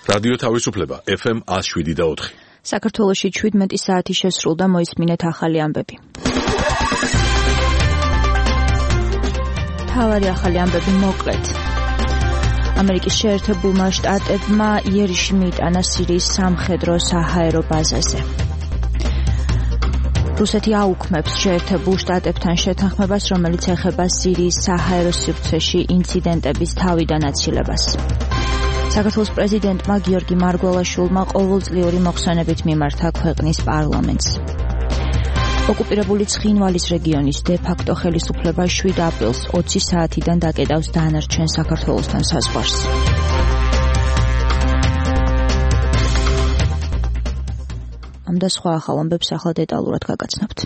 რადიო თავისუფლება FM 107.4. საქართველოში 17 საათი შესრულდა, მოისმინეთ ახალი ამბები. თავარი ახალი ამბები მოკლედ. ამერიკის შეერთებულმა შტატებმა იერიში მიიტანა სირიის სამხედრო საჰაერო ბაზაზე. რუსეთი აუქმებს შეერთებულ შტატებთან შეთანხმებას, რომელიც ეხება სირიის საჰაერო სივრცეში ინციდენტების თავიდან აცილებას. საქართველოს პრეზიდენტმა გიორგი მარგველაშვილმა ყოველწლიური მოხსენებით მიმართა ქვეყნის პარლამენტს. ოკუპირებული ცხინვალის რეგიონის დე-ფაქტო ხელისუფლება 7 აპრილს 20 საათიდან დაკეტავს დანარჩენ საქართველოსთან საზღვარს. ამ და სხვა ახალ ამბებს ახლა დეტალურად გაგაცნობთ.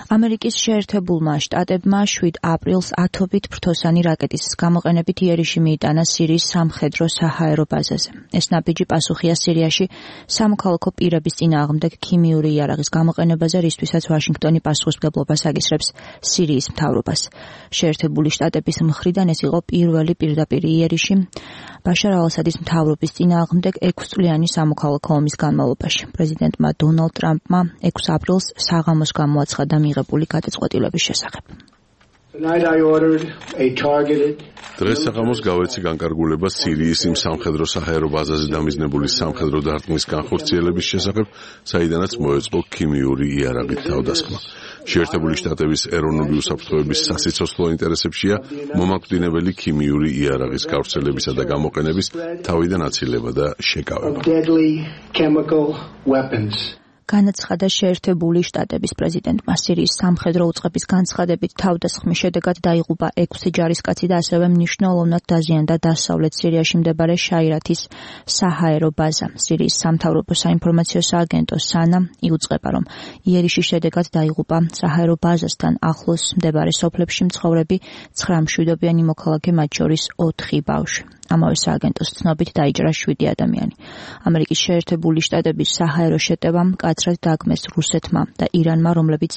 ამერიკის შეერთებულმა შტატებმა 7 აპრილს ათობით ფრთოსანი რაკეტის გამოყენებით იერიში მიიტანა სირიის სამხედრო საჰაერო ბაზაზე. ეს ნაბიჯი პასუხია სირიაში სამოქალაქო პირების წინააღმდეგ ქიმიური იარაღის გამოყენებაზე, რისთვისაც ვაშინგტონი პასუხისმგებლობას აკისრებს სირიის მთავრობას. შეერთებული შტატების მხრიდან ეს იყო პირველი პირდაპირი იერიში ბაშარ ალ-ასადის მთავრობის წინააღმდეგ 6 წლიანი სამოქალაქო ომის განმავლობაში. პრეზიდენტმა დონალდ ტრამპმა 6 აპრილს საღამოს გამოაცხადა მიღებული გადაწყვეტილების შესახებ. დღეს საღამოს გავეცი განკარგულება სირიის იმ სამხედრო საჰაერო ბაზაზე დამიზნებული სამხედრო დარტყმის განხორციელების შესახებ, საიდანაც მოეწყო ქიმიური იარაღით თავდასხმა. შეერთებული შტატების ეროვნული უსაფრთხოების სასიცოცხლო ინტერესებშია მომაკვდინებელი ქიმიური იარაღის გავრცელებისა და გამოყენების თავიდან აცილება და შეკავება. განაცხადა შეერთებული შტატების პრეზიდენტმა. სირიის სამხედრო უწყების განცხადებით თავდასხმის შედეგად დაიღუპა 6 ჯარისკაცი და ასევე მნიშვნელოვნად დაზიანდა დასავლეთ სირიაში მდებარე შაირათის საჰაერო ბაზა. სირიის სამთავრობო საინფორმაციო სააგენტო სანა იუწყება, რომ იერიშის შედეგად დაიღუპა საჰაერო ბაზასთან ახლოს მდებარე სოფლებში მცხოვრები 9 მშვიდობიანი მოქალაქე, მათ შორის 4 ბავშვი. ამავე სააგენტოს ცნობით დაიჭრა 7 ადამიანი. ამერიკის შეერთებული შტატების საჰაერო შეტევამ მკაცრად დაგმეს რუსეთმა და ირანმა, რომლებიც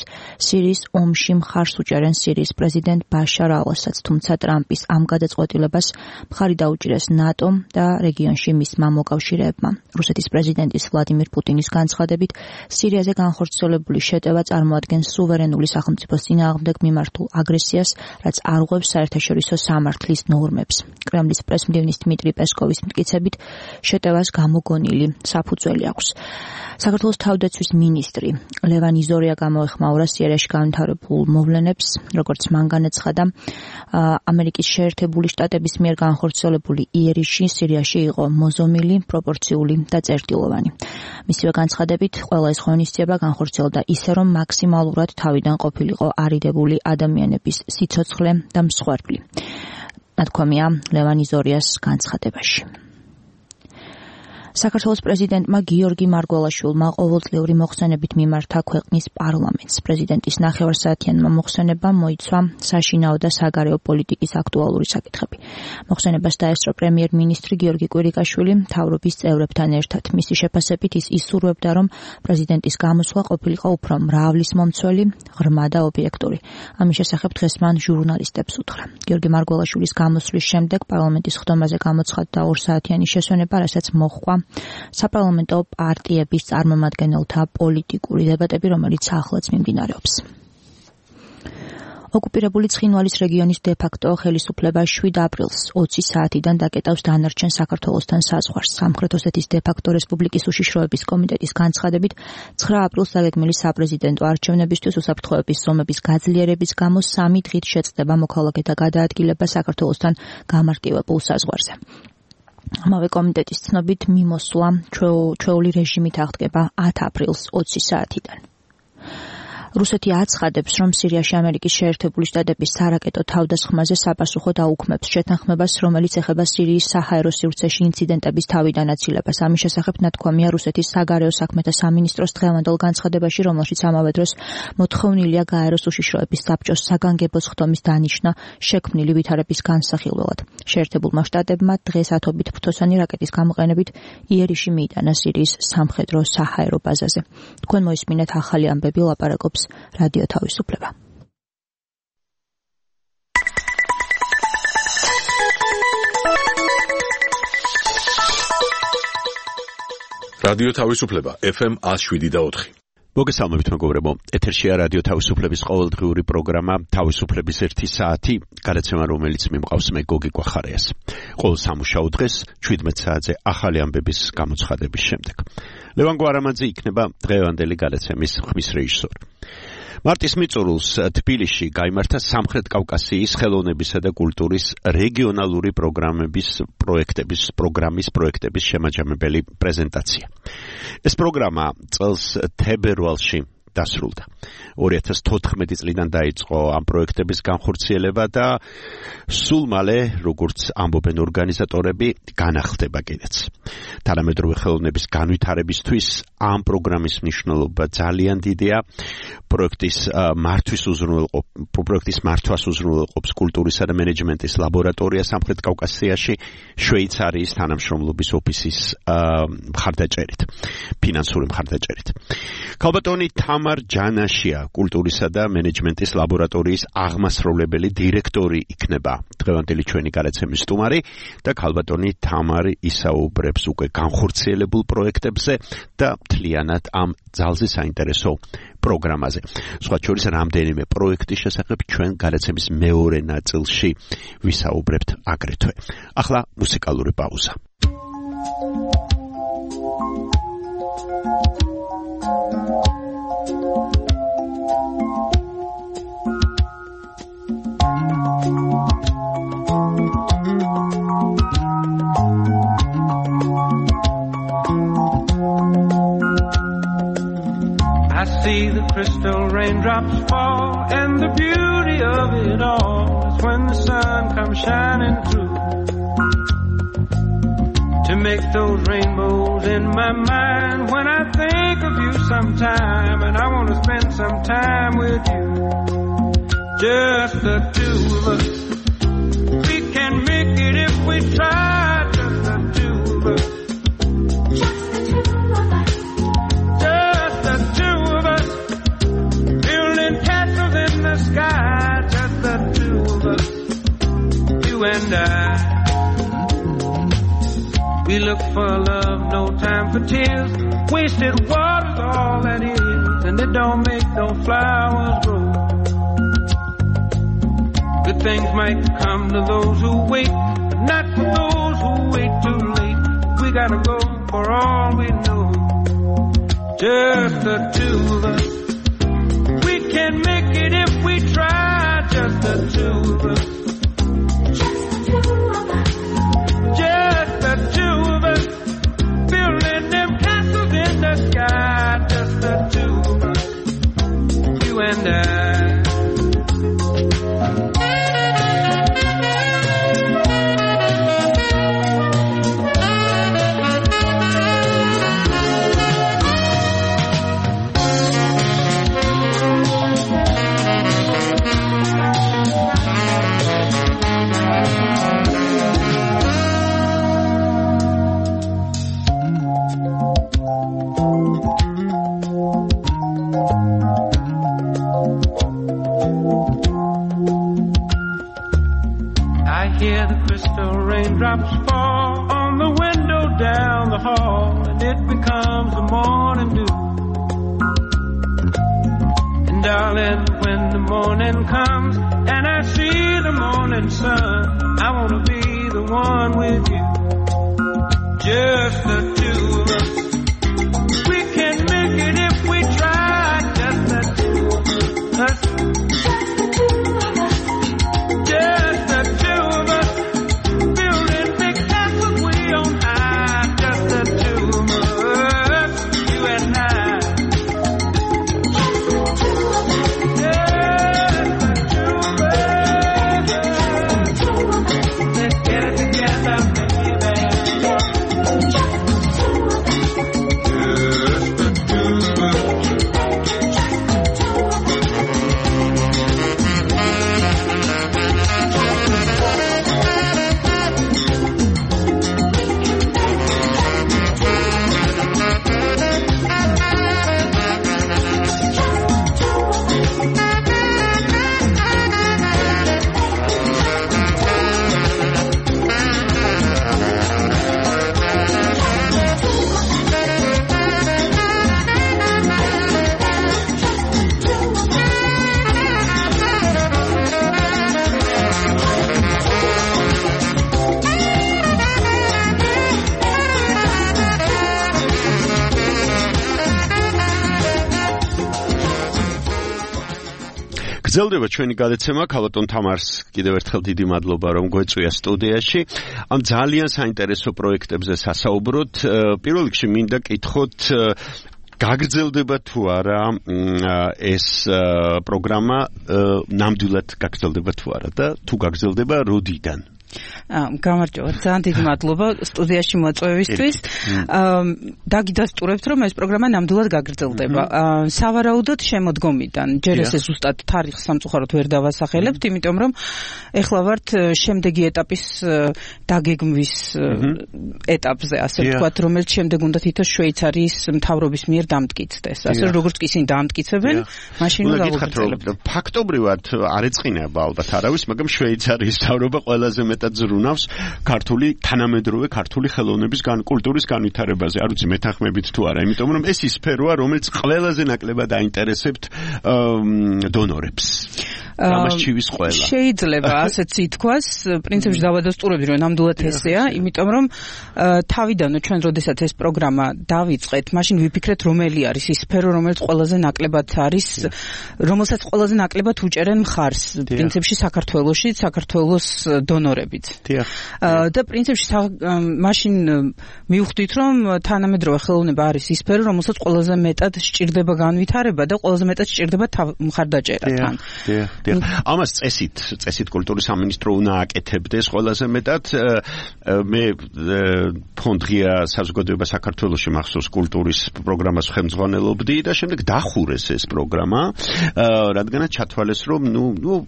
სირიის ომში მხარს უჭერენ სირიის პრეზიდენტ ბაშარ ალ-ასადს, თუმცა ტრამპის ამ გადაწყვეტილებას მხარი დაუჭირეს ნატომ და რეგიონში მისმა მოკავშირეებმა. რუსეთის პრეზიდენტის ვლადიმირ პუტინის განცხადებით, სირიაზე განხორციელებული შეტევა წარმოადგენს სუვერენული სახელმწიფოს წინააღმდეგ მიმართულ აგრესიას, რაც არ ღვევს საერთაშორისო სამართლის ნორმებს. კრემლის პრესმდივნის დმიტრი პესკოვის მტკიცებით, შეტევას გამოგონილი საფუძველი აქვს. საქართველოს თავდაცვის მინისტრი ლევან იზორია გამოეხმაურა სირიაში განვითარებულ მოვლენებს, როგორც მან განაცხადა, ამერიკის შეერთებული შტატების მიერ განხორციელებული იერიში სირიაში იყო მოზომილი, პროპორციული და წერტილოვანი. მისივე განცხადებით, ყველა ეს ღონისძიება განხორციელდა ისე, რომ მაქსიმალურად თავიდან ყოფილიყო არიდებული ადამიანების სიცოცხლე და მსხვერპლი. ნათქვამია ლევან იზორიას განცხადებაში. საქართველოს პრეზიდენტმა გიორგი მარგველაშვილმა ყოველწლიური მოხსენებით მიმართა ქვეყნის პარლამენტს. პრეზიდენტის ნახევარსაათიანმა მოხსენებამ მოიცვა საშინაო და საგარეო პოლიტიკის აქტუალური საკითხები. მოხსენებას დაესწრო პრემიერ-მინისტრი გიორგი კვირიკაშვილი მთავრობის წევრებთან ერთად. მისი შეფასებით ის ისურვებდა, რომ პრეზიდენტის გამოსვლა ყოფილიყო უფრო მრავლისმომცველი, ღრმა და ობიექტური. ამის შესახებ დღეს მან ჟურნალისტებს უთხრა. გიორგი მარგველაშვილის გამოსვლის შემდეგ პარლამენტის ხდომაზე გამოცხადდა 2 საათიანი შესვენება, რასაც მოჰყვა საპარლამენტო პარტიების წარმომადგენელთა პოლიტიკური დებატები, რომელიც ახლაც მიმდინარეობს. ოკუპირებული ცხინვალის რეგიონის დე-ფაქტო ხელისუფლება 7 აპრილს 20 საათიდან დაკეტავს დანარჩენ საქართველოსთან საზღვარს. სამხრეთ ოსეთის დე-ფაქტო რესპუბლიკის უშიშროების კომიტეტის განცხადებით, 9 აპრილს დაგეგმილი საპრეზიდენტო არჩევნებისთვის უსაფრთხოების ზომების გაძლიერების გამო 3 დღით შეწყდება მოქალაქეთა გადაადგილება საქართველოსთან გამარტივებულ საზღვარზე. ამავე კომიტეტის ცნობით მიმოსვლა ჩვეული რეჟიმით აღდგება 10 აპრილს 20 საათიდან. რუსეთი აცხადებს, რომ სირიაში ამერიკის შეერთებული შტატების სარაკეტო თავდასხმაზე საპასუხოდ აუქმებს შეთანხმებას, რომელიც ეხება სირიის საჰაერო სივრცეში ინციდენტების თავიდან აცილებას. ამის შესახებ ნათქვამია რუსეთის საგარეო საქმეთა სამინისტროს დღევანდელ განცხადებაში, რომელშიც ამავე დროს მოთხოვნილია გაეროს უშიშროების საბჭოს საგანგებო ხდომის დანიშვნა შექმნილი ვითარების განსახილველად. შეერთებულმა შტატებმა დღეს ათობით ფრთოსანი რაკეტის გამოყენებით იერიში მიიტანა სირიის სამხედრო საჰაერო ბაზაზე. თქვენ მოისმინეთ ახალი ამბები, ლაპარაკობს რადიო თავისუფლება. რადიო თავისუფლება FM 107.4. მოგესალმებით მეგობრებო, ეთერშია რადიო თავისუფლების ყოველდღიური პროგრამა თავისუფლების 1 საათი, გადაცემა რომელიც მიმყავს მე გოგი კვახარიას. ყოველ სამუშაო დღეს 17 საათზე ახალი ამბების გამოცხადების შემდეგ. ლევან გვარამაძე იქნება დღევანდელი გადაცემის ხმის რეჟისორი. მარტის მიწურულს თბილისში გაიმართა სამხრეთ კავკასიის ხელოვნებისა და კულტურის რეგიონალური პროექტების შემაჯამებელი პრეზენტაცია. ეს პროგრამა წელს თებერვალში დასრულდა. 2014 წლიდან დაიწყო ამ პროექტების განხორციელება და სულ მალე, როგორც ამბობენ ორგანიზატორები, განახლდება კიდეც. თანამედროვე ხელოვნების განვითარებისთვის ამ პროგრამის მნიშვნელობა ძალიან დიდია. პროექტის მართვას უზრუნველყოფს კულტურისა და მენეჯმენტის ლაბორატორია სამხრეთ კავკასიაში, შვეიცარიის თანამშრომლობის ოფისის ფინანსური მხარდაჭერით. ქალბატონი თამარ ჯანაშია, კულტურისა და მენეჯმენტის ლაბორატორიის აღმასრულებელი დირექტორი იქნება დღევანდელი ჩვენი გადაცემის სტუმარი და ქალბატონი თამარი ისაუბრებს უკვე განხორციელებულ პროექტებზე და მთლიანად ამ ძალზე საინტერესო პროგრამაზე. სხვა შორის რამდენიმე პროექტის შესახებ ჩვენ გადაცემის მეორე ნაწილში ვისაუბრებთ აგრეთვე. ახლა მუსიკალური პაუზა. I see the crystal raindrops fall, and the beauty of it all is when the sun comes shining through to make those rainbows in my mind when I think of you sometime, and I want to spend some time with you, just the two of us. We can make it if we try, just the two of us. Sky, just the two of us, you and I. We look for love, no time for tears. Wasted water's all that is, and it don't make no flowers grow. Good things might come to those who wait, but not for those who wait too late. We gotta go for all we know, just the two of us. We can make it if we try, just the two of us. Just the two of us. Building them castles in the sky, just the two of us. You and I. Raindrops fall on the window down the hall, and it becomes the morning dew. And darling, when the morning comes and I see the morning sun, I want to be the one with you, just the two of us. We can make it if we try, just the two of us. Just the two of us. გრძელდება ჩვენი გადაცემა, ქალბატონ თამარს კიდევ ერთხელ დიდი მადლობა რომ გვეწვია სტუდიაში. ამ ძალიან საინტერესო პროექტებზე სასაუბროთ. პირველ რიგში მინდა კითხოთ გაგრძელდება თუ არა ეს პროგრამა ნამდვილად გაგრძელდება თუ არა და თუ გაგრძელდება როდიდან? გამარჯობა, ძალიან დიდი მადლობა სტუდიაში მოწვევისთვის. დაგიდასტურებთ, რომ ეს პროგრამა ნამდვილად გაგრძელდება. სავარაუდოდ შემოდგომიდან, ჯერ ესე ზუსტად თარიღს სამწუხაროდ ვერ დავასახელებთ, იმიტომ რომ ეხლა ვართ შემდეგი ეტაპის დაგეგმვის ეტაპზე, ასე ვთქვათ, რომელიც შემდეგ უნდა თითო შვეიცარიის მთავრობის მიერ დამტკიცდეს. ასე როგორც კი ისინი დამტკიცებენ, მაშინ უნდა გავუგრძელებთ. ფაქტობრივად არ ეწყინება ალბათ არავის, მაგრამ შვეიცარიის მთავრობა ყველაზე მეტად ზრუნავს ქართული თანამედროვე ქართული ხელოვნების კულტურის განვითარებაზე. არ ვიცი მეთანხმებით თუ არა, იმიტომ რომ ეს ის სფეროა, რომელიც ყველაზე ნაკლებად აინტერესებთ დონორებს. გამარჯვების ყველა. შეიძლება ასეც ითქვას, პრინციპში დავადასტურებდი, რომ ნამდვილად ესეა, იმიტომ რომ თავიდანვე ჩვენ როდესაც ეს პროგრამა დავიწყეთ, მაშინ ვიფიქრეთ, რომელი არის ის სფერო, რომელიც ყველაზე ნაკლებად არის, რომელსაც ყველაზე ნაკლებად უჭერენ მხარს, პრინციპში საქართველოში, საქართველოს დონორებიც. და პრინციპში მაშინ მივხვდით, რომ თანამედროვე ხელოვნება არის ის სფერო, რომელსაც ყველაზე მეტად სჭირდება განვითარება და ყველაზე მეტად სჭირდება მხარდაჭერა თან. ამას წესით კულტურის სამინისტრო უნდა აკეთებდეს ყველაზე მეტად. მე ფონდ ღია საზოგადოება საქართველოში მახსოვს კულტურის პროგრამას ხელმძღვანელობდი და შემდეგ დახურეს ეს პროგრამა, რადგანაც ჩათვალეს, რომ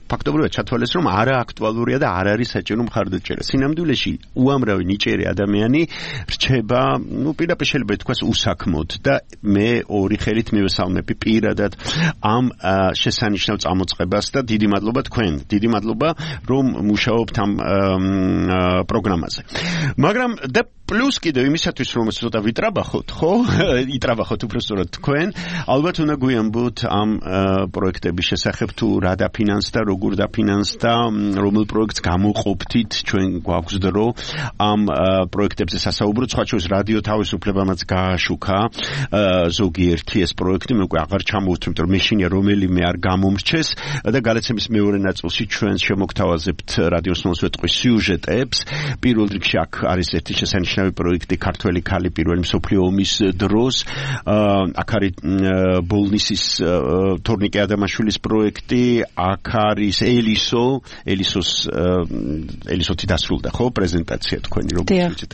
ფაქტობრივად ჩათვალეს, რომ არა აქტუალურია და არ არის საჭირო მხარდაჭერა. სინამდვილეში უამრავი ნიჭიერი ადამიანი რჩება, პირდაპირ შეიძლება ითქვას უსაქმოდ და მე ორი ხელით მივესალმები პირადად ამ შესანიშნავ წამოწყებას და დიდი მადლობა თქვენ, დიდი მადლობა რომ მუშაობთ ამ პროგრამაზე. მაგრამ და პლუს კიდევ იმისათვის რომ ცოტა ვიტრაბახოთ, ხო? იტრაბახოთ უბრალოდ თქვენ, ალბათ უნდა გვიამბოთ ამ პროექტების შესახებ თუ რა დაფინანსდა, როგორ დაფინანსდა, რომელ პროექტს გამოყოფთით, ჩვენ გვაქვს დრო ამ პროექტებზე სასაუბროთ, სხვა შორის რადიო თავისუფლებამაც გააშუქა ზოგიერთი ეს პროექტი, მე უკვე აღარ ჩამოვთვლი, იმიტომ რომ მეშინია რომელიმე არ გამომრჩეს და გადაცემის მეორე ნაწილში ჩვენ შემოგთავაზებთ რადიოს მოსვეტყვის სიუჟეტებს. პირველ რიგში აქ არის ერთი შესანიშნავი პროექტი ქართველი ქალი პირველი მსოფლიო ომის დროს. აქ არის ბოლნისის თორნიკე ადამაშვილის პროექტი, აქ არის ელისოთი დასრულდა, ხო, პრეზენტაცია თქვენი როგორც ვიცით.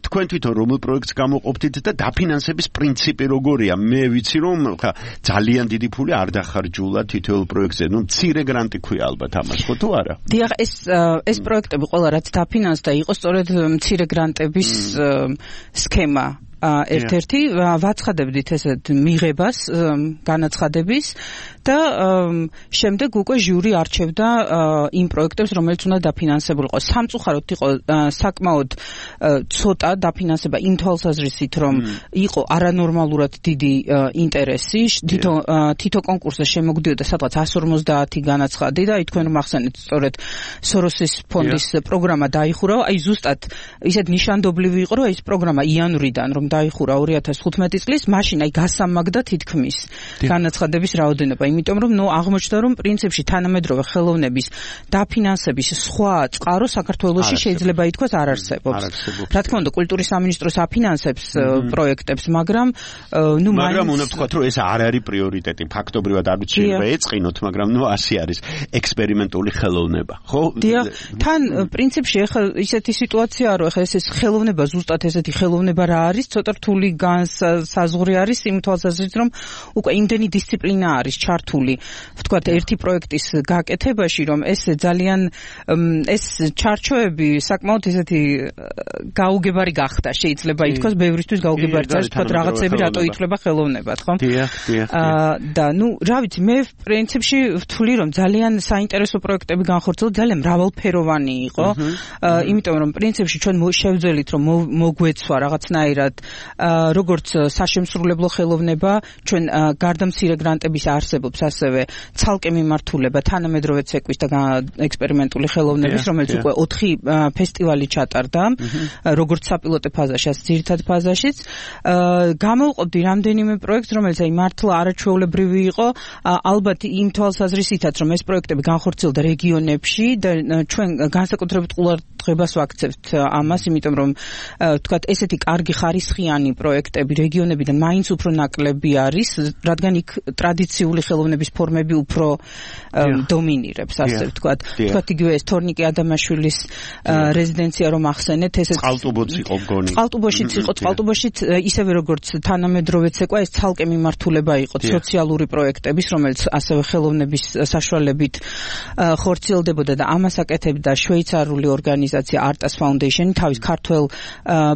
თქვენ თვითონ რომელ პროექტს გამოყოფთით და დაფინანსების პრინციპი როგორია? მე ვიცი რომ ძალიან დიდი ფული არ დახარჯულა თითოეულ პროექტზე. მცირე გრანტი ქვია ალბათ ამას, ხო თუ არა? დიახ, ეს პროექტები ყველა რაც დაფინანსდა იყო სწორედ მცირე გრანტების სქემა. ერთ-ერთი ვაცხადებდით ესეთ მიღებას განაცხადების და შემდეგ უკვე ჟური არჩევდა იმ პროექტებს, რომელიც უნდა დაფინანსებულიყო. სამწუხაროდ იყო საკმაოდ ცოტა დაფინანსება იმ თვალსაზრისით, რომ იყო არანორმალურად დიდი ინტერესი. თითო კონკურსზე შემოგვდიოდა სადღაც 150 განაცხადი და თქვენ მახსენეთ სწორედ სოროსის ფონდის პროგრამა დაიხურა. აი ზუსტად ისეთ ნიშანდობლივი იყო, რომ ეს პროგრამა იანვრიდან რომ დაიხურა 2015 წლის, მაშინ აი გასამაგდა თითქმის განაცხადების რაოდენობა. იმიტომ რომ აღმოჩნდა რომ პრინციპში თანამედროვე ხელოვნების დაფინანსების სხვა წყარო საქართველოში შეიძლება ითქვას არ არსებობს. რა თქმა უნდა, კულტურის სამინისტროს აფინანსებს პროექტებს, მაგრამ უნდა ვთქვათ, რომ ეს არ არის პრიორიტეტი. ფაქტობრივად არ ვიცი შეიძლება ეწყინოთ, მაგრამ ასე არის ექსპერიმენტული ხელოვნება, ხო? დიახ, თან პრინციპში ახლა ისეთი სიტუაციაა, რომ ახლა ეს ხელოვნება ზუსტად ესეთი ხელოვნება რა არის, ცოტა რთული განსაზღვრე არის იმ თვალსაზრისით, რომ უკვე იმდენი დისციპლინა არის ჩართული, ვთქვათ, ერთი პროექტის გაკეთებაში, რომ ეს ძალიან ეს ჩარჩოები საკმაოდ ესეთი გაუგებარი გახდა, შეიძლება ითქვას, ბევრისთვის გაუგებარი არის, ვთქვათ, რაღაცები რატო ითვლება ხელოვნებად, ხო? და რა ვიცი, მე პრინციპში ვთვლი, რომ ძალიან საინტერესო პროექტები განხორციელდა, ძალიან მრავალფეროვანი იყო, იმიტომ რომ პრინციპში ჩვენ შევძელით, რომ მოგვეცვა რაღაცნაირად როგორც საშემსრულებლო ხელოვნება, ჩვენ გარდა მცირე გრანტების არსებობს არსებობს ასევე ცალკე მიმართულება თანამედროვე ცეკვის და ექსპერიმენტული ხელოვნების, რომელიც უკვე 4 ფესტივალი ჩატარდა, როგორც საპილოტო ფაზაში, ასე ძირითად ფაზაშიც. Გამოვყოფდი რამდენიმე პროექტს, რომელიც მართლა არაჩვეულებრივი იყო, ალბათ იმ თვალსაზრისითაც, რომ ეს პროექტები განხორციელდა რეგიონებში და ჩვენ განსაკუთრებით ყურადღებას ვაქცევთ ამას, იმიტომ რომ თქვათ ესეთი კარგი ხარისხიანი პროექტები რეგიონებიდან მაინც უფრო ნაკლები არის, რადგან იქ ტრადიციული ხელოვნების ფორმები უფრო დომინირებს, ასე ვთქვათ. თქვათ იგივე ეს თორნიკე ადამაშვილის რეზიდენცია რომ ახსენეთ, ესეც წყალტუბოც იყო მგონი. წყალტუბოშიც იყო, წყალტუბოშიც ისევე როგორც თანამედროვე ცეკვა, ეს ცალკე მიმართულება იყო სოციალური პროექტების, რომელიც ასევე ხელოვნების საშუალებით ხორციელდებოდა და ამას აკეთებდა შვეიცარიული ორგანიზაცია Artas Foundation თავის ქართველ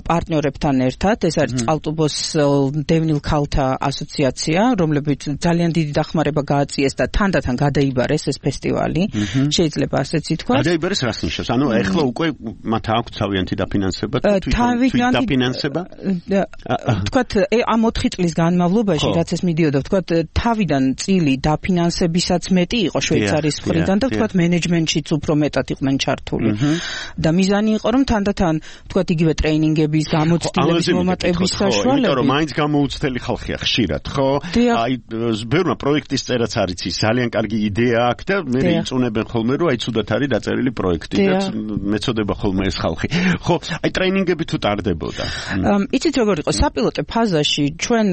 პარტნიორებთან ერთად. ეს არის წყალტუბოს დევნილ ქალთა ასოციაცია, რომლებიც ძალიან დიდი დახმარება გააწიეს და თანდათან გადაიბარეს ეს ფესტივალი. შეიძლება ასეც ითქვას. გადაიბარეს რას ნიშნავს? ანუ ეხლა უკვე მათ აქვს თავიანთი დაფინანსება და თვითონ დაფინანსება? თქვათ ამ 4 წლის განმავლობაში, რაც ეს მიდიოდა, თქვათ თავიდან წილი დაფინანსებისაც მეტი იყო შვეიცარიის მხრიდან და თქვათ მენეჯმენტშიც უფრო მეტად იყვნენ ჩართული. და მიზანი იყო რომ თანდათან თქვათ იგივე ტრეინინგების, გამოცდილების, მომატების საშუალებით. იმიტომ რომ მაინც გამოუცდელი ხალხია ხშირად, ხო? აი ბევრმა პროექტის წერაც არის ის ძალიან კარგი იდეა აქვს და მე იწუნებენ ხოლმე რომ აი ცუდად არის დაწერილი პროექტი და მეწოდება ხოლმე ეს ხალხი. ხო, აი ტრეინინგები თუ ტარდებოდა. იცით როგორ იყო საპილოტო ფაზაში ჩვენ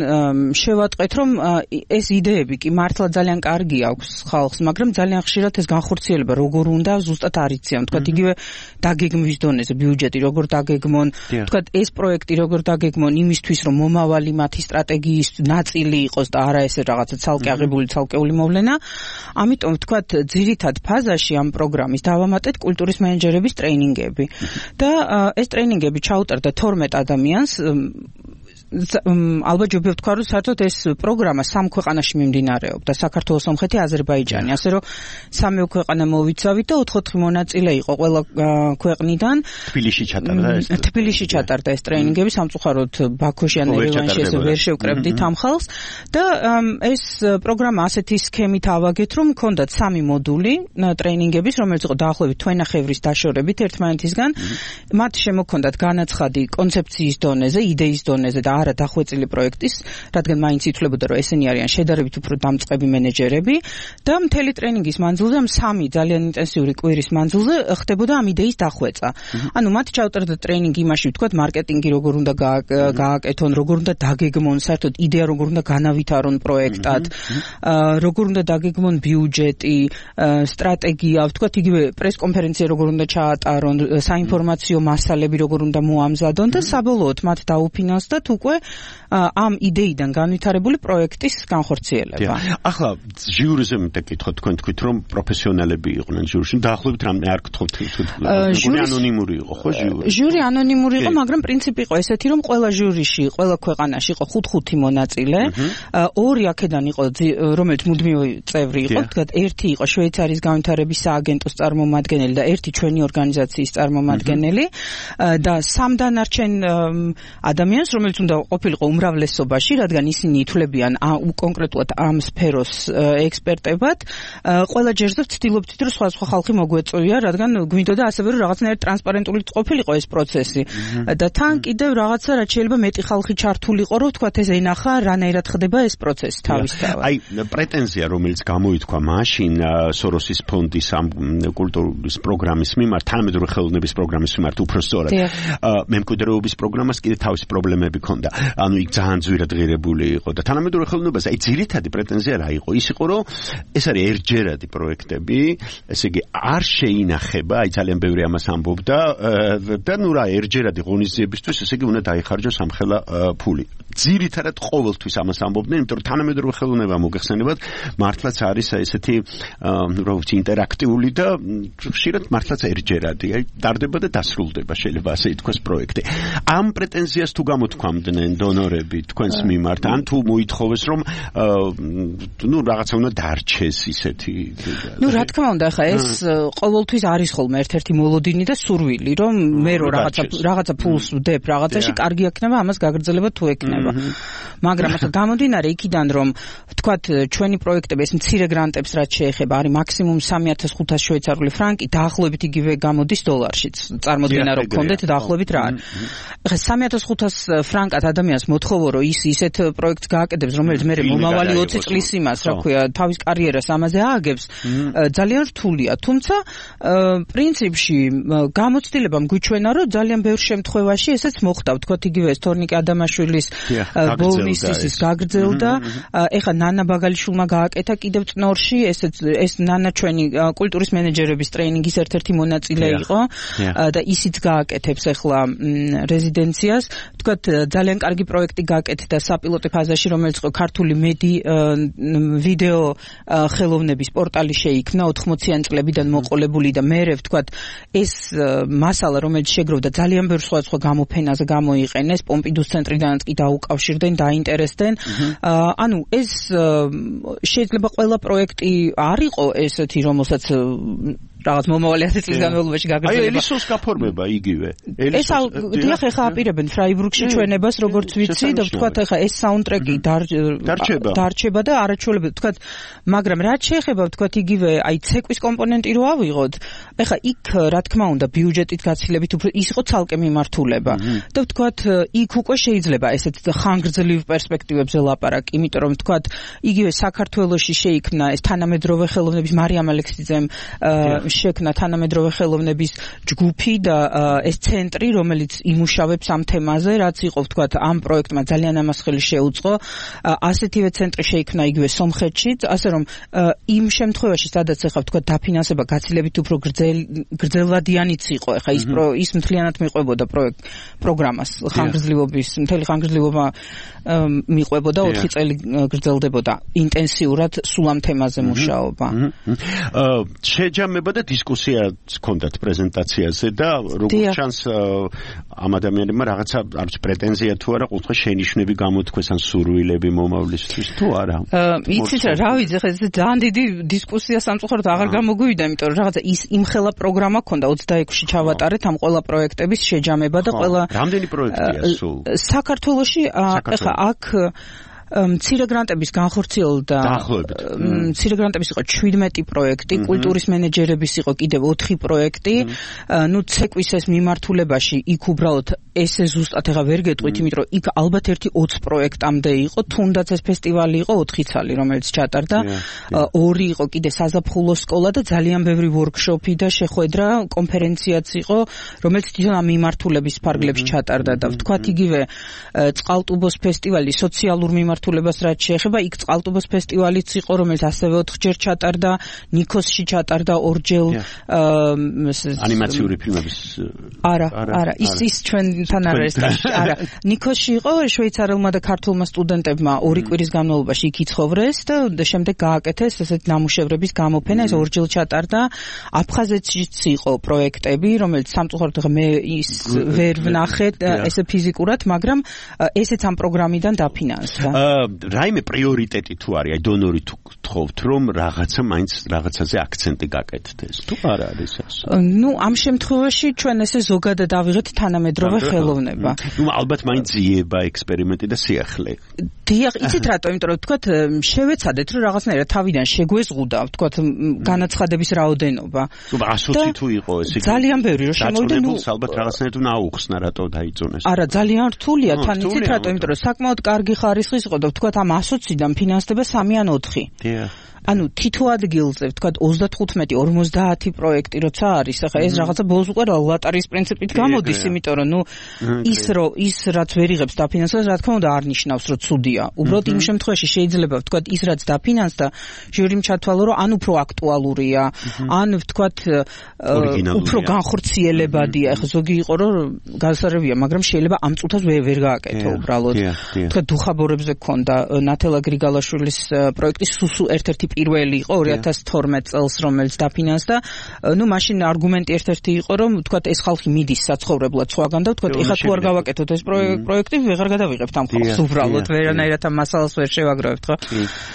შევატყვეთ რომ ეს იდეები კი მართლა ძალიან კარგი აქვს ხალხს, მაგრამ ძალიან ხშირად ეს განხორციელება როგორ უნდა ზუსტად არ იციან. თქვათ იგივე დაგეგმვის დონეზე ბიუჯეტი როგორ დაგეგმონ, თქვათ ეს პროექტი როგორ დაგეგმონ იმისთვის რომ მომავალი მათი სტრატეგიის ნაწილი იყოს და არა ესე რაღაცა ცალკე აღებული ცალკეული მოვლენა. ამიტომ თქვათ ძირითად ფაზაში ამ პროგრამის დავამატეთ კულტურის მენეჯერების ტრეინინგები. და ეს ტრეინინგები ჩაუტარდა 12 ადამიანს. ალბათ ჯობია ვთქვა რომ საერთოდ ეს პროგრამა 3 ქვეყანაში მიმდინარეობდა, საქართველოს, სომხეთი, აზერბაიჯანი, ასე რომ 3 ქვეყანა მოვიცავით და 4 მონაწილე იყო ყველა ქვეყნიდან. თბილისში ჩატარდა ეს. თბილისში ჩატარდა ეს ტრეინინგები, სამწუხაროდ ბაქოში ან ერევანში ესე ვერ შევკრებდით ამ ხალხს და ეს პროგრამა ასეთი სქემით ავაგეთ, რომ მქონდათ 3 მოდული ტრეინინგების, რომელიც იყო დაახლოებით თვენახევრის დაშორებით ერთმანეთისგან. მათ შემოქონდათ განაცხადი კონცეფციის დონეზე, იდეის დონეზე და არა დახვეწილი პროექტის, რადგან მაინც ითვლებოდა რომ ესენი არიან შედარებით უფრო დამწყები მენეჯერები და მთელი ტრეინინგის მანძილზე ამ 3 ძალიან ინტენსიური კვირის მანძილზე ხდებოდა ამ იდეის დახვეწა. ანუ მათ ჩაუტარდა ტრეინინგი იმაში, ვთქვათ, მარკეტინგი როგორ უნდა გააკეთონ, როგორ უნდა დაგეგმონ, საერთოდ იდეა როგორ უნდა განავითარონ პროექტად, როგორ უნდა დაგეგმონ ბიუჯეტი, სტრატეგია, ვთქვათ, იგივე პრესკონფერენცია როგორ უნდა ჩაატარონ, საინფორმაციო მასალები როგორ უნდა მოამზადონ და საბოლოოდ მათ დაუფინანსდათ უკვე ამ იდეიდან განვითარებული პროექტის განხორციელება. ახლა ჟიურიზე მეკითხოთ, თქვენ თქვით რომ პროფესიონალები იყვნენ ჟიურში, დაახლოებით რამე არ გთხოვთ ჟიური ანონიმური იყო, ხო ჟიური? ჟიური ანონიმური იყო, მაგრამ პრინციპი იყო ესეთი, რომ ყველა ჟურიში, ყველა ქვეყანაში იყო 5 მონაწილე, 2 აქედან იყო, რომელიც მუდმივი წევრი იყო, თქვათ, 1 იყო შვეიცარიის განვითარების სააგენტოს წარმომადგენელი და 1 ჩვენი ორგანიზაციის წარმომადგენელი და 3 დანარჩენ ადამიანს, რომელიც უნდა ყოფილიყო უმრავლესობაში, რადგან ისინი ითვლებიან კონკრეტულად ამ სფეროს ექსპერტებად. ყველა ჯერზე ვცდილობთ რომ სხვა ხალხი მოგვეწვია, რადგან გვინდოდა ასევე რომ რაღაცნაირად ტრანსპარენტული ყოფილიყო ეს პროცესი. და თან კიდევ რაღაცა რაც შეიძლება მეტი ხალხი ჩართულიყო, რომ თქვათ ეს ენახა რანაირად ხდება ეს პროცესი თავისთავად. აი პრეტენზია რომელიც გამოითქვა მაშინ სოროსის ფონდის ამ კულტურის პროგრამის მიმართ, თანამედროვე ხელოვნების პროგრამის მიმართ უბრალოდ მემკვიდრეობის პროგრამას კიდე თავისი პრობლემები ჰქონდა. ანუ იქ ძალიან ძვირად ღირებული იყო და თანამედროვე ხელოვნებას აი ძირითადი პრეტენზია რა იყო? ის იყო რომ ეს არის ერთჯერადი პროექტები, ესე იგი არ შეინახება, აი ძალიან ბევრი ამას ამბობდა და ნუ რა ერთჯერადი ღონისძიებისთვის ესე იგი უნდა დაიხარჯოს ამხელა ფული. ძირითადად ყოველთვის ამას ამბობდნენ, იმიტომ რომ თანამედროვე ხელოვნება მოგეხსენებათ, მართლაც არის ესეთი რა ვიცი ინტერაქტიული და ხშირად მართლაც ერთჯერადი, აი ტარდება და დასრულდება, შეიძლება ასე ითქვას პროექტი. ამ პრეტენზიას თუ გამოთქვამდნენ დონორები თქვენს მიმართ, ან თუ მოითხოვეს რომ ნუ რაღაცა უნდა დარჩეს ისეთი. ნუ რა თქმა უნდა, ხა ეს ყოველთვის არის ხოლმე ერთ-ერთი მოლოდინი და სურვილი, რომ მე რო რაღაცა ფულს ვდებ რაღაცაში, კარგი იქნება ამას გაგრძელება თუ ექნება. ეხება. მაგრამ ახლა გამომდინარე იქიდან რომ ვთქვათ ჩვენი პროექტები ეს მცირე გრანტებს რაც შეეხება არის მაქსიმუმ 3500 შვეიცარიული ფრანკი, დაახლოებით იგივე გამოდის დოლარშიც. წარმოიდგინე რომ გქონდეთ დაახლოებით რა არის. ახლა 3500 ფრანკად ადამიანს მოთხოვო რომ ის ისეთ პროექტს გააკეთებს, რომელიც მე მომავალი 20 წლის იმას, რა ქვია, თავის კარიერას ამაზე ააგებს, ძალიან რთულია. თუმცა პრინციპში გამოცდილება მგვიჩვენა რომ ძალიან ბევრ შემთხვევაში ესეც მოხდა, ვთქვათ იგივე თორნიკე ადამაშვილის ბოლნისის გაგრძელდა. ეხლა ნანა ბაგალიშვილმა გააკეთა კიდევ წნორში, ეს ნანა ჩვენი კულტურის მენეჯერების ტრეინინგის ერთ-ერთი მონაწილე იყო და ისიც გააკეთებს ეხლა რეზიდენციას. ვთქვათ ძალიან კარგი პროექტი გააკეთა საპილოტო ფაზაში, რომელიც იყო ქართული ვიდეო ხელოვნების პორტალი შეიქმნა 80-იან წლებიდან მოყოლებული და მერე ვთქვათ ეს მასალა რომელიც შეგროვდა ძალიან ბევრ სხვადასხვა გამოფენაზე გამოიყენეს, პომპიდუს ცენტრიდანაც კი დაუკავშირდნენ, დაინტერესდნენ. ანუ ეს შეიძლება ყველა პროექტი არ იყო ესეთი, რომელსაც რაღაც მომავალი 10 წლის განმავლობაში გაგრძელება. აი ელისოს გაფორმება იგივე. ეს დიახ, ეხა აპირებენ ფრაიბურგში ჩვენებას, როგორც ვიცი და ვთქვათ ეხა ეს საუნდტრეკი დარჩება და არაჩვეულებრივ ვთქვათ, მაგრამ რაც შეეხება ვთქვათ იგივე აი ცეკვის კომპონენტი რო ავიღოთ, ეხა იქ რა თქმა უნდა ბიუჯეტით გაცილებით უფრო ის იყო ცალკე მიმართულება და ვთქვათ იქ უკვე შეიძლება ესეთ ხანგრძლივ პერსპექტივებზე ლაპარაკი, იმიტომ რომ ვთქვათ იგივე საქართველოში შეიქმნა ეს თანამედროვე ხელოვნების მარიამ ალექსიძემ შექმნა თანამედროვე ხელოვნების ჯგუფი და ეს ცენტრი, რომელიც იმუშავებს ამ თემაზე, რაც იყო ვთქვათ ამ პროექტმა ძალიან ამას ხელი შეუწყო. ასეთივე ცენტრი შეიქმნა იგივე სომხეთშიც, ასე რომ იმ შემთხვევაში, სადაც ახლა ვთქვათ დაფინანსება გაცილებით უფრო გრძელვადიანიც იყო, ახლა ის მთლიანად მიყვებოდა პროგრამას, მთელი ხანგრძლივობა მიყვებოდა 4 წელი გრძელდებოდა ინტენსიურად სულ ამ თემაზე მუშაობა. შეჯამება და დისკუსიაც ჰქონდათ პრეზენტაციაზე და როგორც ჩანს ამ ადამიანებმა რაღაცა არც პრეტენზია თუ არა ყუთხე შენიშვნები გამოთქვეს ან სურვილები მომავლისთვის თუ არა. იცით რა ვიცი, ხა ეს ძალიან დიდი დისკუსია სამწუხაროდ აღარ გამოგვივიდა, იმიტომ რომ რაღაცა ის იმხელა პროგრამა ჰქონდა 26-ში ჩავატარეთ ამ ყველა პროექტების შეჯამება და ყველა რამდენი პროექტია სულ? საქართველოში ეხლა აქ მცირე გრანტების განხორციელდა მცირე გრანტების იყო 17 პროექტი, კულტურის მენეჯერების იყო კიდევ 4 პროექტი. ნუ ცეკვის ეს მიმართულებაში იქ უბრალოდ ესე ზუსტად ეხა ვერ გეტყვით, იმიტომ რომ იქ ალბათ ერთი 20 პროექტამდე იყო, თუნდაც ეს ფესტივალი იყო 4 ცალი, რომელიც ჩატარდა. 2 იყო კიდე საზაფხულო სკოლა და ძალიან ბევრი ვორქშოპი და შეხვედრა, კონფერენციაც იყო, რომელიც თვითონ ამ მიმართულების ფარგლებში ჩატარდა და ვთქვათ იგივე წყალტუბოს ფესტივალი სოციალურ მიმართულებას რაც შეეხება, იქ წყალტუბოს ფესტივალიც იყო, რომელიც ასევე 4ჯერ ჩატარდა, ნიქოსში ჩატარდა 2ჯერ ანიმაციური ფილმების არა, ის ჩვენთან არ არის ტაში. არა, ნიქოსში იყო შვეიცარელმა და ქართულმა სტუდენტებმა 2 კვირის განმავლობაში იქ იცხოვრეს და შემდეგ გააკეთეს ესეთ ნამუშევრების გამოფენა, ეს 2ჯერ ჩატარდა. აფხაზეთშიც იყო პროექტები, რომელიც სამწუხაროდ მე ის ვერ ვნახეთ ესე ფიზიკურად, მაგრამ ესეც ამ პროგრამიდან დაფინანსდა. რაიმე პრიორიტეტი თუ არის, აი დონორი თუ გთხოვთ რომ რაღაცა მაინც რაღაცაზე აქცენტი გაკეთდეს, თუ არ არის ასე? ნუ ამ შემთხვევაში ჩვენ ესე ზოგადად ავიღეთ თანამედროვე ხელოვნება. ნუ ალბათ მაინც ძიება ექსპერიმენტი და სიახლე. დიახ, იცით რატო? იმიტომ რომ ვთქვათ შევეცადეთ რომ რაღაცნაირად თავიდან შეგვეზღუდა, ვთქვათ განაცხადების რაოდენობა. თუ 120 თუ იყო ესე იგი. ძალიან ბევრი რომ შემოვიდა, ნუ ალბათ რაღაცნაირად უნდა აუხსნა რატო დაიწონეს. არა, ძალიან რთულია, თან იცით რატო? იმიტომ რომ საკმაოდ კარგი ხარისხის იყო და ვთქვათ ამ 120-დან ფინანსდება 3 ან 4. დიახ. ანუ თითო ადგილზე ვთქვათ 35-50 პროექტი როცა არის, ახლა ეს რაღაცა ბოლოს უკვე ლატარის პრინციპით გამოდის, იმიტომ რომ ნუ ის რაც ვერ იღებს დაფინანსებას, რა თქმა უნდა არ ნიშნავს რომ ცუდია. უბრალოდ იმ შემთხვევაში შეიძლება ვთქვათ ის რაც დაფინანსდა, ჟიურიმ ჩათვალო რომ ან უფრო აქტუალურია, ან ვთქვათ უფრო განხორციელებადია. ახლა ზოგი იყო რომ გასარევია, მაგრამ შეიძლება ამ წუთას ვერ გააკეთო უბრალოდ. ვთქვათ დუხაბორებზე გქონდა ნათელა გრიგალაშვილის პროექტი სუსუ ერთ-ერთი პირველი იყო 2012 წელს, რომელიც დაფინანსდა. ნუ მაშინ არგუმენტი ერთ-ერთი იყო, რომ ვთქვათ ეს ხალხი მიდის საცხოვრებლად სხვაგან და ვთქვათ ეხლა თუ არ გავაკეთოთ ეს პროექტი, ვეღარ გადავიღებთ ამ ხალხს უბრალოდ ვერანაირ ვერანაირად ამ მასალას ვერ შევაგროვებთ, ხო?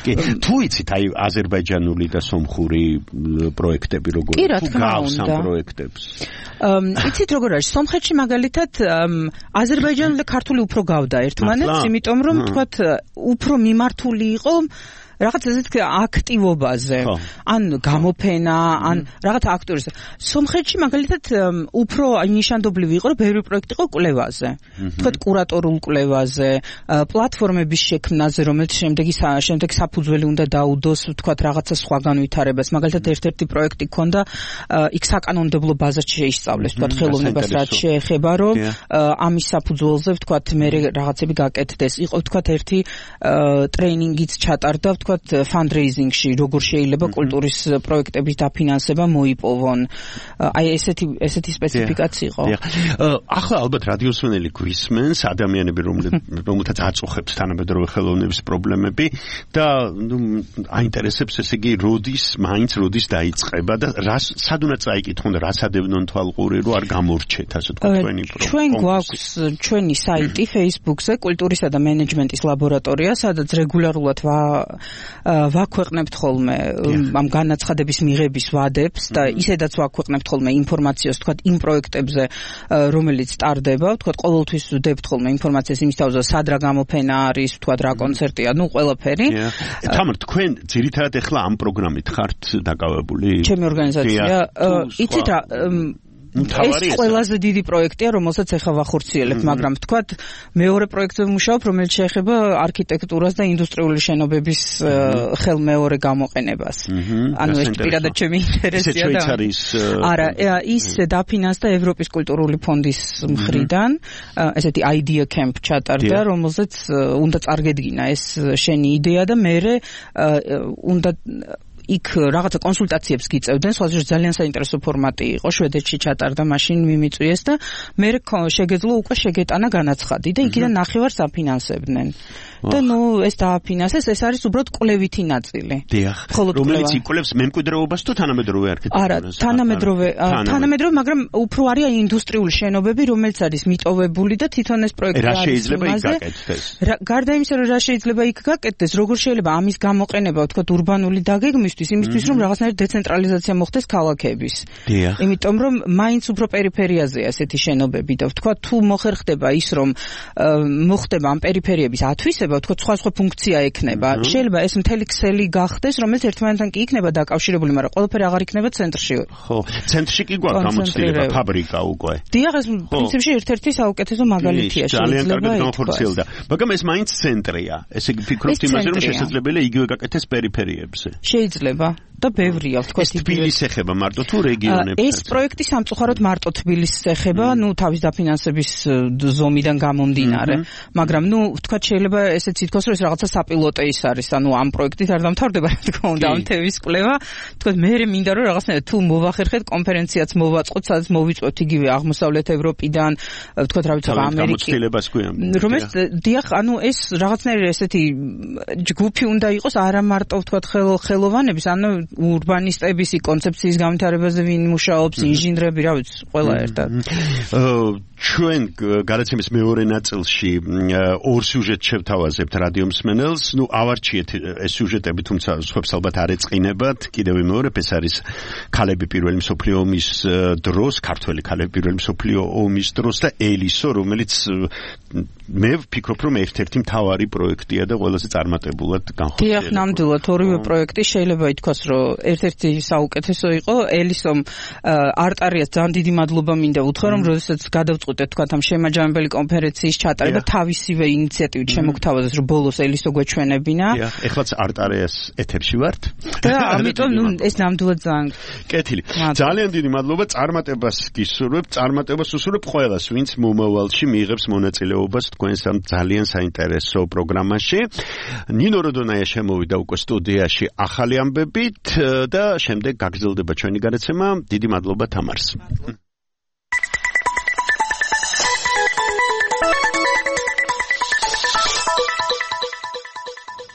კი. თუ იცით აი აზერბაიჯანული და სომხური პროექტები როგორ თუ გავს ამ პროექტებს? იცით როგორ არის? სომხეთში მაგალითად აზერბაიჯანული და ქართული უფრო გავდა ერთმანეთს, იმიტომ რომ თქვათ უფრო მიმართული იყო რაღაც ესეთ აქტივობაზე, ან გამოფენა, ან რაღაც აქტორის. სომხეთში მაგალითად უფრო ნიშანდობლივი იყო, რომ ბევრი პროექტი იყო კვლევაზე. თქვათ კურატორულ კვლევაზე, პლატფორმების შექმნაზე, რომელიც შემდეგ საფუძველი უნდა დაუდოს, თქვათ რაღაცა სხვა განვითარებას. მაგალითად ერთ-ერთი პროექტი ქონდა, იქ საკანონმდებლო ბაზად შეისწავლეს, თქვათ ხელოვნებას რაც შეეხება, რომ ამის საფუძველზე, თქვათ მე რაღაცები გაკეთდეს. იყო თქვათ ერთი ტრეინინგიც ჩატარდა, fundraising-ში როგორ შეიძლება კულტურის პროექტების დაფინანსება მოიპოვონ. აი ესეთი სპეციფიკაცია იყო. ახლა ალბათ რადიოსმენელი გვისმენს ადამიანები, რომელთაც აწუხებს თანამედროვე ხელოვნების პრობლემები და აინტერესებს ესე იგი როდის დაიწყება და სად უნდა წაიკითხონ და რა სადევნონ თვალყური რომ არ გამორჩეთ ასე თქვა თქვენი პროგრამა. ჩვენ გვაქვს ჩვენი საიტი Facebook-ზე კულტურისა და მენეჯმენტის ლაბორატორია, სადაც რეგულარულად ვაქვეყნებთ ხოლმე ამ განაცხადების მიღების ვადებს და ისედაც ვაქვეყნებთ ხოლმე ინფორმაციას თქვათ იმ პროექტებზე რომელიც ტარდება, თქვათ ყოველთვის ვდებთ ხოლმე ინფორმაციას იმის თავზე სად რა გამოფენა არის, თქვათ რა კონცერტია, ყველაფერი. თამარ, თქვენ ძირითადად ახლა ამ პროგრამით ხართ დაკავებული? ჩემი ორგანიზაცია, იცით რა ეს ყველაზე დიდი პროექტია, რომელსაც ახლა ვახორციელებთ, მაგრამ თქვათ მეორე პროექტზე ვმუშაობ, რომელიც შეეხება არქიტექტურას და ინდუსტრიული შენობების ხელმეორე გამოყენებას. ანუ ეს პირადად ჩემი ინტერესია და არა, ის დაფინანსდა ევროპის კულტურული ფონდის მხრიდან, ესეთი idea camp ჩატარდა, რომელზეც უნდა წარგედგინა ეს შენი იდეა და მე უნდა იქ რაღაცა კონსულტაციებს გიწევდნენ, სხვა ძალიან საინტერესო ფორმატი იყო, შვედეთში ჩატარდა, მაშინ მიმიწვიეს და მე შეგეძლო უკვე შეგეტანა განაცხადი და იქიდან ნახევარს აფინანსებდნენ. და ეს დააფინანსეს, ეს არის უბრალოდ კვლევითი ნაწილი. დიახ. რომელიც იკვლევს მემკვიდრეობას თუ თანამედროვე არქიტექტურას? არა, თანამედროვე, მაგრამ უფრო არის ინდუსტრიული შენობები, რომელიც არის მიტოვებული და თვითონ ეს პროექტი არის. რა შეიძლება იქ გაკეთდეს? გარდა იმისა, რომ რა შეიძლება იქ გაკეთდეს, როგორ შეიძლება ამის გამოყენება, თქვათ, ურბანული დაგეგმისთვის, იმისთვის, რომ რაღაცნაირად დეცენტრალიზაცია მოხდეს ქალაქების. დიახ. იმიტომ რომ მაინც უფრო პერიფერიაზეა ესეთი შენობები და თქვათ, თუ მოხერხდება ის, რომ მოხდება ამ პერიფერიების ათვისება, თქვა სხვა ფუნქცია ექნება. შეიძლება ეს მთელი ქსელი გახდეს, რომელიც ერთმანეთთან კი იქნება დაკავშირებული, მაგრამ ყველაფერი აღარ იქნება ცენტრში. ხო, centrში კი გვაქვს გამოცდილება, ფაბრიკა უკვე. დიახ, ეს პრინციპში ერთ-ერთი საუკეთესო მაგალითია, ძალიან კარგად განხორციელდა. მაგრამ ეს მაინც ცენტრია. ესე იგი ფიქრობთ იმაზე, რომ შესაძლებელია იგივე გაკეთდეს პერიფერიებზე. შეიძლება. და ბევრია, თქვა თბილისს ეხება მარტო თუ რეგიონებს? ეს პროექტი სამწუხაროდ მარტო თბილისს ეხება, თავის დაფინანსების ზომიდან გამომდინარე. მაგრამ თქვა შეიძლება ესეც ითქვას, რომ ეს რაღაცა საპილოტე ის არის, ამ პროექტით არ დამთავრდება, რა თქმა უნდა, ამ თემის კვლევა. თქვა მე მინდა რომ რაღაცნაირად თუ მოვახერხეთ კონფერენციაც მოვაწყოთ, სადაც მოვიწვევთ იგივე აღმოსავლეთ ევროპიდან, თქვა რა ვიცი, ამერიკის. რომელიც დიახ, ეს რაღაცნაირი ესეთი ჯგუფი უნდა იყოს, არა მარტო თქვა ხელოვანების, ურბანისტების კონცეფციის განვითარებაზე ვინ მუშაობს, ინჟინრები, რა ვიცი, ყველა ერთად. ჩვენ გადაცემის მეორე ნაწილში ორ სიუჟეტს შევთავაზებთ რადიომსმენელს. ავარჩიეთ ეს სიუჟეტები, თუმცა სხვებს ალბათ არ ეწყინებათ. კიდევ ვიმეორებ, ეს არის ქალები პირველი მსოფლიო ომის დროს, ქართველი ქალები პირველი მსოფლიო ომის დროს და ელისო, რომელიც მე ვფიქრობ, რომ ერთ-ერთი მთავარი პროექტია და ყველაზე წარმატებულად განხორციელდა. დიახ, ნამდვილად ორივე პროექტი შეიძლება ითქვას, რომ ერთ-ერთი საუკეთესო იყო. ელისომ არტარიას ძალიან დიდი მადლობა მინდა უთხრა, რომ როდესაც გადავწყვიტეთ თქვა ამ შემაჯამებელი კონფერენციის ჩატარება, თავისივე ინიციატივით შემოგთავაზეს, რომ ბოლოს ელისო გვეჩვენებინა. დიახ, ეხლაც არტარიას ეთერში ვართ. და ამიტომ ეს ნამდვილად ძალიან კეთილი. ძალიან დიდი მადლობა, წარმატებას გისურვებ, წარმატებას უსურვებ ყველას, ვინც მომავალში მიიღებს მონაწილეობას თქვენს ამ ძალიან საინტერესო პროგრამაში. ნინო როდონაია შემოვიდა უკვე სტუდიაში ახალი ამბებით და შემდეგ გაგრძელდება ჩვენი გადაცემა. დიდი მადლობა თამარს.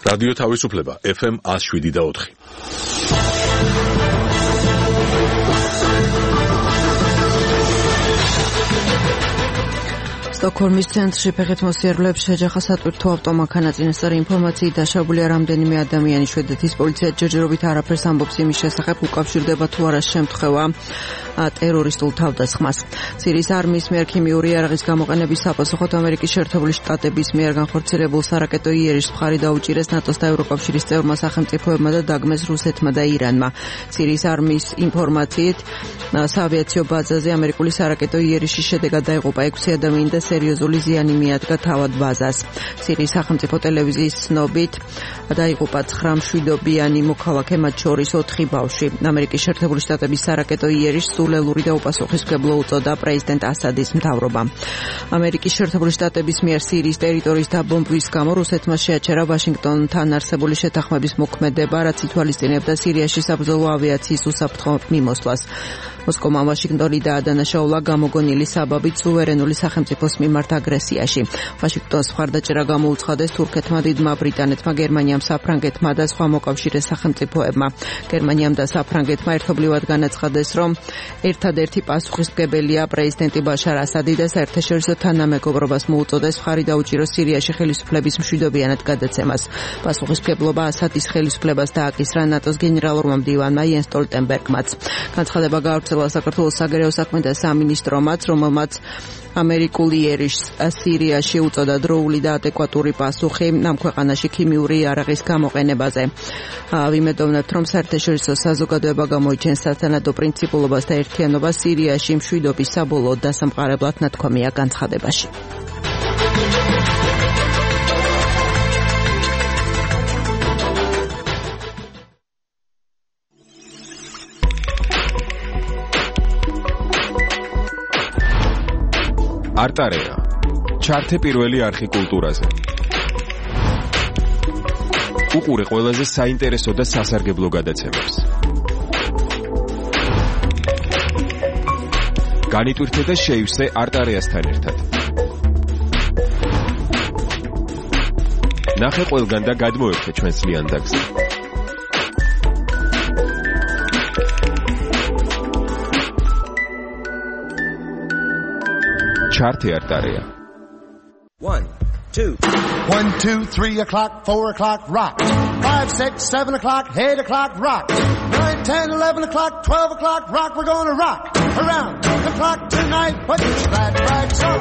რადიო თავისუფლება FM 107.4. სტოკჰოლმის ცენტრში ფეხით მოსიარულეებს შეჯახა სატვირთო ავტომანქანა. წინასწარი ინფორმაციით დაშავებულია რამდენიმე ადამიანი. შვედეთის პოლიცია ჯერჯერობით არაფერს ამბობს იმის შესახებ, უკავშირდება თუ არა შემთხვევა ტერორისტულ თავდასხმას. სირიის არმიის მიერ ქიმიური იარაღის გამოყენების საპასუხოდ ამერიკის შეერთებული შტატების მიერ განხორციელებულ სარაკეტო იერიშს მხარი დაუჭირეს ნატოს და ევროკავშირის წევრმა სახელმწიფოებმა და დაგმეს რუსეთმა და ირანმა. სირიის არმიის ინფორმაციით საავიაციო ბაზაზე ამერიკული სარაკეტო იერიშის შედეგად დაიღუპა 6 ადამიანი და სერიოზული ზიანი მიადგა თავად ბაზას. სირიის სახელმწიფო ტელევიზიის ცნობით დაიღუპა 9 მშვიდობიანი მოქალაქე, მათ შორის 4 ბავშვი. ამერიკის შეერთებული შტატების სარაკეტო იერიშს სულელური და უპასუხისმგებლო უწოდა პრეზიდენტ ასადის მთავრობამ. ამერიკის შეერთებული შტატების მიერ სირიის ტერიტორიის დაბომბვის გამო რუსეთმა შეაჩერა ვაშინგტონთან არსებული შეთანხმების მოქმედება, რაც ითვალისწინებდა სირიაში საბრძოლო ავიაციის უსაფრთხო მიმოსვლას. მოსკოვმა ვაშინგტონი დაადანაშაულა გამოგონილი საბაბით სუვერენული სახელმწიფოს მიმართ აგრესიაში. ვაშინგტონს მხარდაჭერა გამოუცხადეს თურქეთმა, დიდმა ბრიტანეთმა, გერმანიამ, საფრანგეთმა და სხვა მოკავშირე სახელმწიფოებმა. გერმანიამ და საფრანგეთმა ერთობლივად განაცხადეს, რომ ერთადერთი პასუხისმგებელია პრეზიდენტი ბაშარ ასადი და საერთაშორისო თანამეგობრობას მოუწოდეს მხარი დაუჭიროს სირიაში ხელისუფლების მშვიდობიანად გადაცემას. პასუხისმგებლობა ასადის ხელისუფლებას დააკისრა ნატოს გენერალურმა მდივანმა იენს სტოლტენბერგმაც. განცხადება გაავრცელა საქართველოს საგარეო საქმეთა სამინისტრომაც, რომელმაც ამერიკული იერიშს სირიაში უწოდა დროული და ადეკვატური პასუხი ამ ქვეყანაში ქიმიური იარაღის გამოყენებაზე. ვიმედოვნებთ, რომ საერთაშორისო საზოგადოება გამოიჩენს სათანადო პრინციპულობას და ერთიანობას სირიაში მშვიდობის საბოლოო დასამყარებლად ნათქვამია განცხადებაში. არტარეა ჩართე პირველი არხი კულტურაზე. უყურე ყველაზე საინტერესო და სასარგებლო გადაცემებს. განიტვირთე და შეივსე არტარეასთან ერთად. ნახე ყველგან და გადმოერთე ჩვენს ლიანდაგზე. ჩართე არტარეა. 1, 2, 1, 2, 3 o'clock, 4 o'clock, rock. 5, 6, 7 o'clock, 8 o'clock, rock. 9, 10, 11 o'clock, 12 o'clock, rock. We're gonna rock around the clock tonight. Put your glad rags on.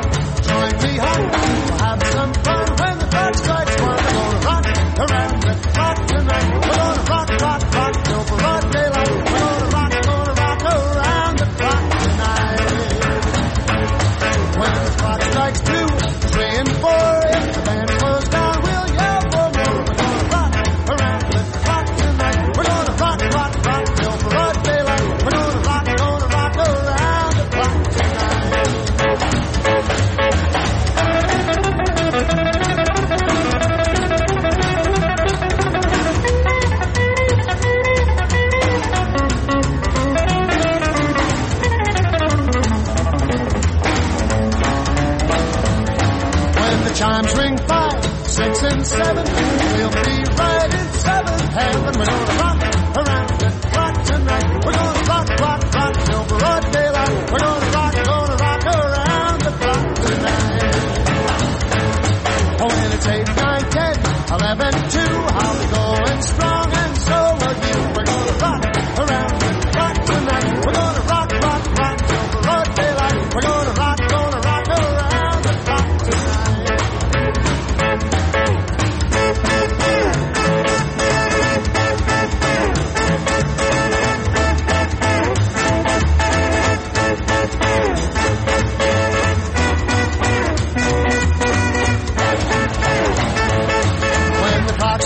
Join me home. We'll have some fun when the clock strikes 1. We're gonna rock around the clock tonight. We're gonna rock, rock, rock till broad daylight. We're gonna rock around the clock tonight. When the clock strikes 2, 3 and 4, if the band slows down, we'll yell for more. We're gonna rock around the clock tonight. We're gonna rock, rock, rock till broad daylight. We're gonna rock around the clock tonight. Chimes ring 5, 6 and 7. We'll be right in 7th heaven. We're gonna rock around the clock tonight. We're gonna rock, rock, rock till broad daylight. We're gonna rock around the clock tonight. Oh, when it's 8, 9, 10, 11, 2, I'll be going strong and so will you. We're gonna rock around the clock tonight. We're gonna rock, rock, rock till broad daylight. We're gonna rock around the clock tonight. When the clock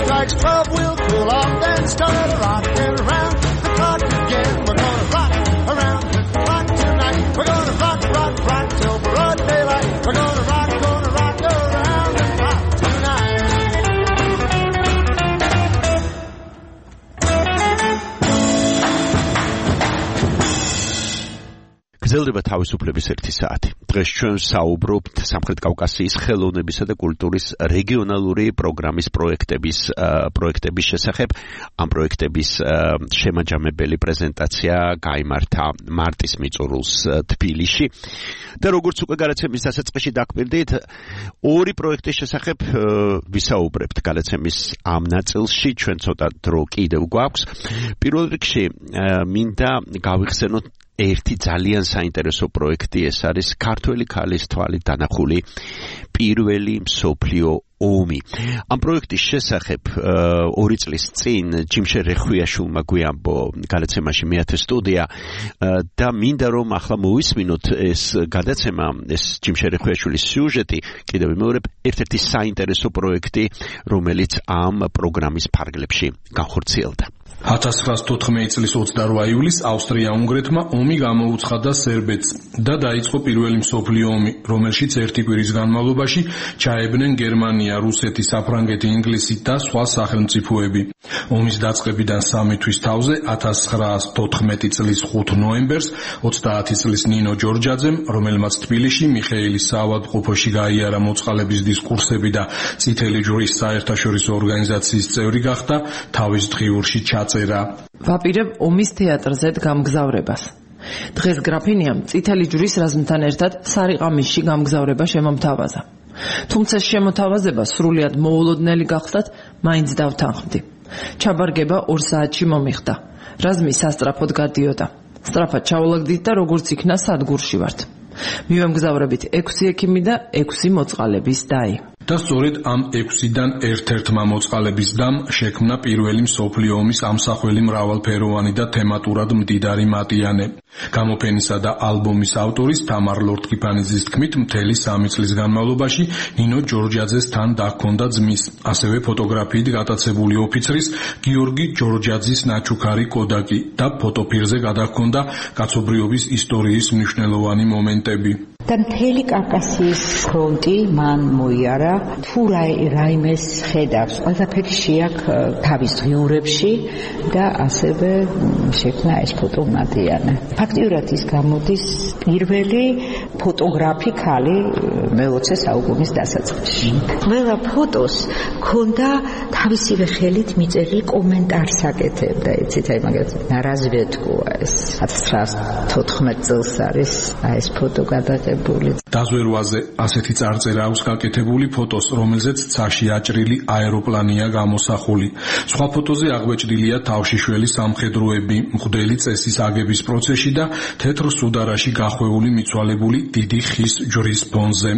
გრძელდება თავისუფლების 1 საათი. დღეს ჩვენ საუბრობთ სამხრეთ კავკასიის ხელოვნებისა და კულტურის რეგიონალური პროგრამის პროექტების შესახებ. ამ პროექტების შემაჯამებელი პრეზენტაცია გაიმართა მარტის მიწურულს თბილისში. და როგორც უკვე გადაცემის დასაწყისში დაკვირდით, ორი პროექტის შესახებ ვისაუბრებთ გადაცემის ამ ნაწილში. ჩვენ ცოტა დრო კიდევ გვაქვს. პირველ რიგში მინდა გავიხსენოთ ერთი ძალიან საინტერესო პროექტი, ეს არის ქართველი ქალის თვალით დანახული პირველი მსოფლიო ომი. ამ პროექტის შესახებ 2 წლის წინ ჯიმშე რეხვიაშვილმა გვიამბო გადაცემაში მეათე სტუდია და მინდა რომ ახლა მოვისმინოთ ეს გადაცემა, ეს ჯიმშე რეხვიაშვილის სიუჟეტი, კიდევ ვიმეორებ, ერთ-ერთი საინტერესო პროექტი, რომელიც ამ პროგრამის ფარგლებში განხორციელდა. 1914 წლის 28 ივლისს ავსტრია-უნგრეთმა ომი გამოუცხადა სერბეთს და დაიწყო პირველი მსოფლიო ომი, რომელშიც ერთი კვირის განმავლობაში ჩაებნენ გერმანია, რუსეთი, საფრანგეთი, ინგლისი და სხვა სახელმწიფოები. ომის დაწყებიდან 3 თვის თავზე 1914 წლის 5 ნოემბერს 30 წლის ნინო ჯორჯაძემ, რომელმაც თბილისში მიხეილის საავადმყოფოში გაიარა მოწყალების დისკურსები და წითელი ჯვრის საერთაშორისო ორგანიზაციის წევრი გახდა, თავის დღიურში წერა. ვაპირებ ომის თეატრზე გამგზავრებას. დღეს გრაფინიამ წითელი ჯვრის რაზმთან ერთად სარიყამისში გამგზავრება შემომთავაზა. თუმცა შემოთავაზება სრულიად მოულოდნელი გახსნათ, მაინც დავთანხმდი. ჩაბარგება 2 საათში მომიხდა. რაზმი სასწრაფოდ გადიოდა. სწრაფად ჩაულაგდით და როგორც იქნა სადგურში ვართ. მივემგზავრებით 6 ექიმი და 6 მოწყალების დაი. და სწორედ ამ 6-დან ერთ-ერთმა მოწყალების დამ შექმნა პირველი მსოფლიო ომის ამსახველი მრავალფეროვანი და თემატურად მდიდარი მატიანე. გამოფენისა და ალბომის ავტორის თამარ ლორთქიფანიძის თქმით, მთელი 3 წლის განმავლობაში ნინო ჯორჯაძეს თან დაგქონდა ძმის, ასევე ფოტოგრაფიით გატაცებული ოფიცრის გიორგი ჯორჯაძის ნაჩუქარი კოდაკი და ფოტოფირზე გადაგქონდა კაცობრიობის ისტორიის მნიშვნელოვანი მომენტები. და მთელი კავკასიის ფრონტი მან მოიარა, თუ რაიმეს ხედავს, ყველაფერი შეაქ თავის ღიურებში და ასევე შექმნა ეს ფოტომატიანე. ფაქტიურად ის გამოდის პირველი ფოტოგრაფი ქალი მე-20 საუკუნის დასაწყისში. ყველა ფოტოს ქონდა თავისივე ხელით მიწერილი კომენტარს აკეთებდა, იცით, აი მაგალითად ნარაზვეთკოა ეს 1914 წელს არის ეს ფოტო გადაღებული. დაზვერვაზე ასეთი წარწერა აქვს გაკეთებული ფოტოს, რომელზეც ცაში აჭრილი აეროპლანია გამოსახული. სხვა ფოტოზე აღბეჭდილია თავშიშველი სამხედროები, მღვდელი წესის აგების პროცესში და თეთრ სუდარაში გახვეული მიცვალებული დიდი ხის ჯვრის ფონზე.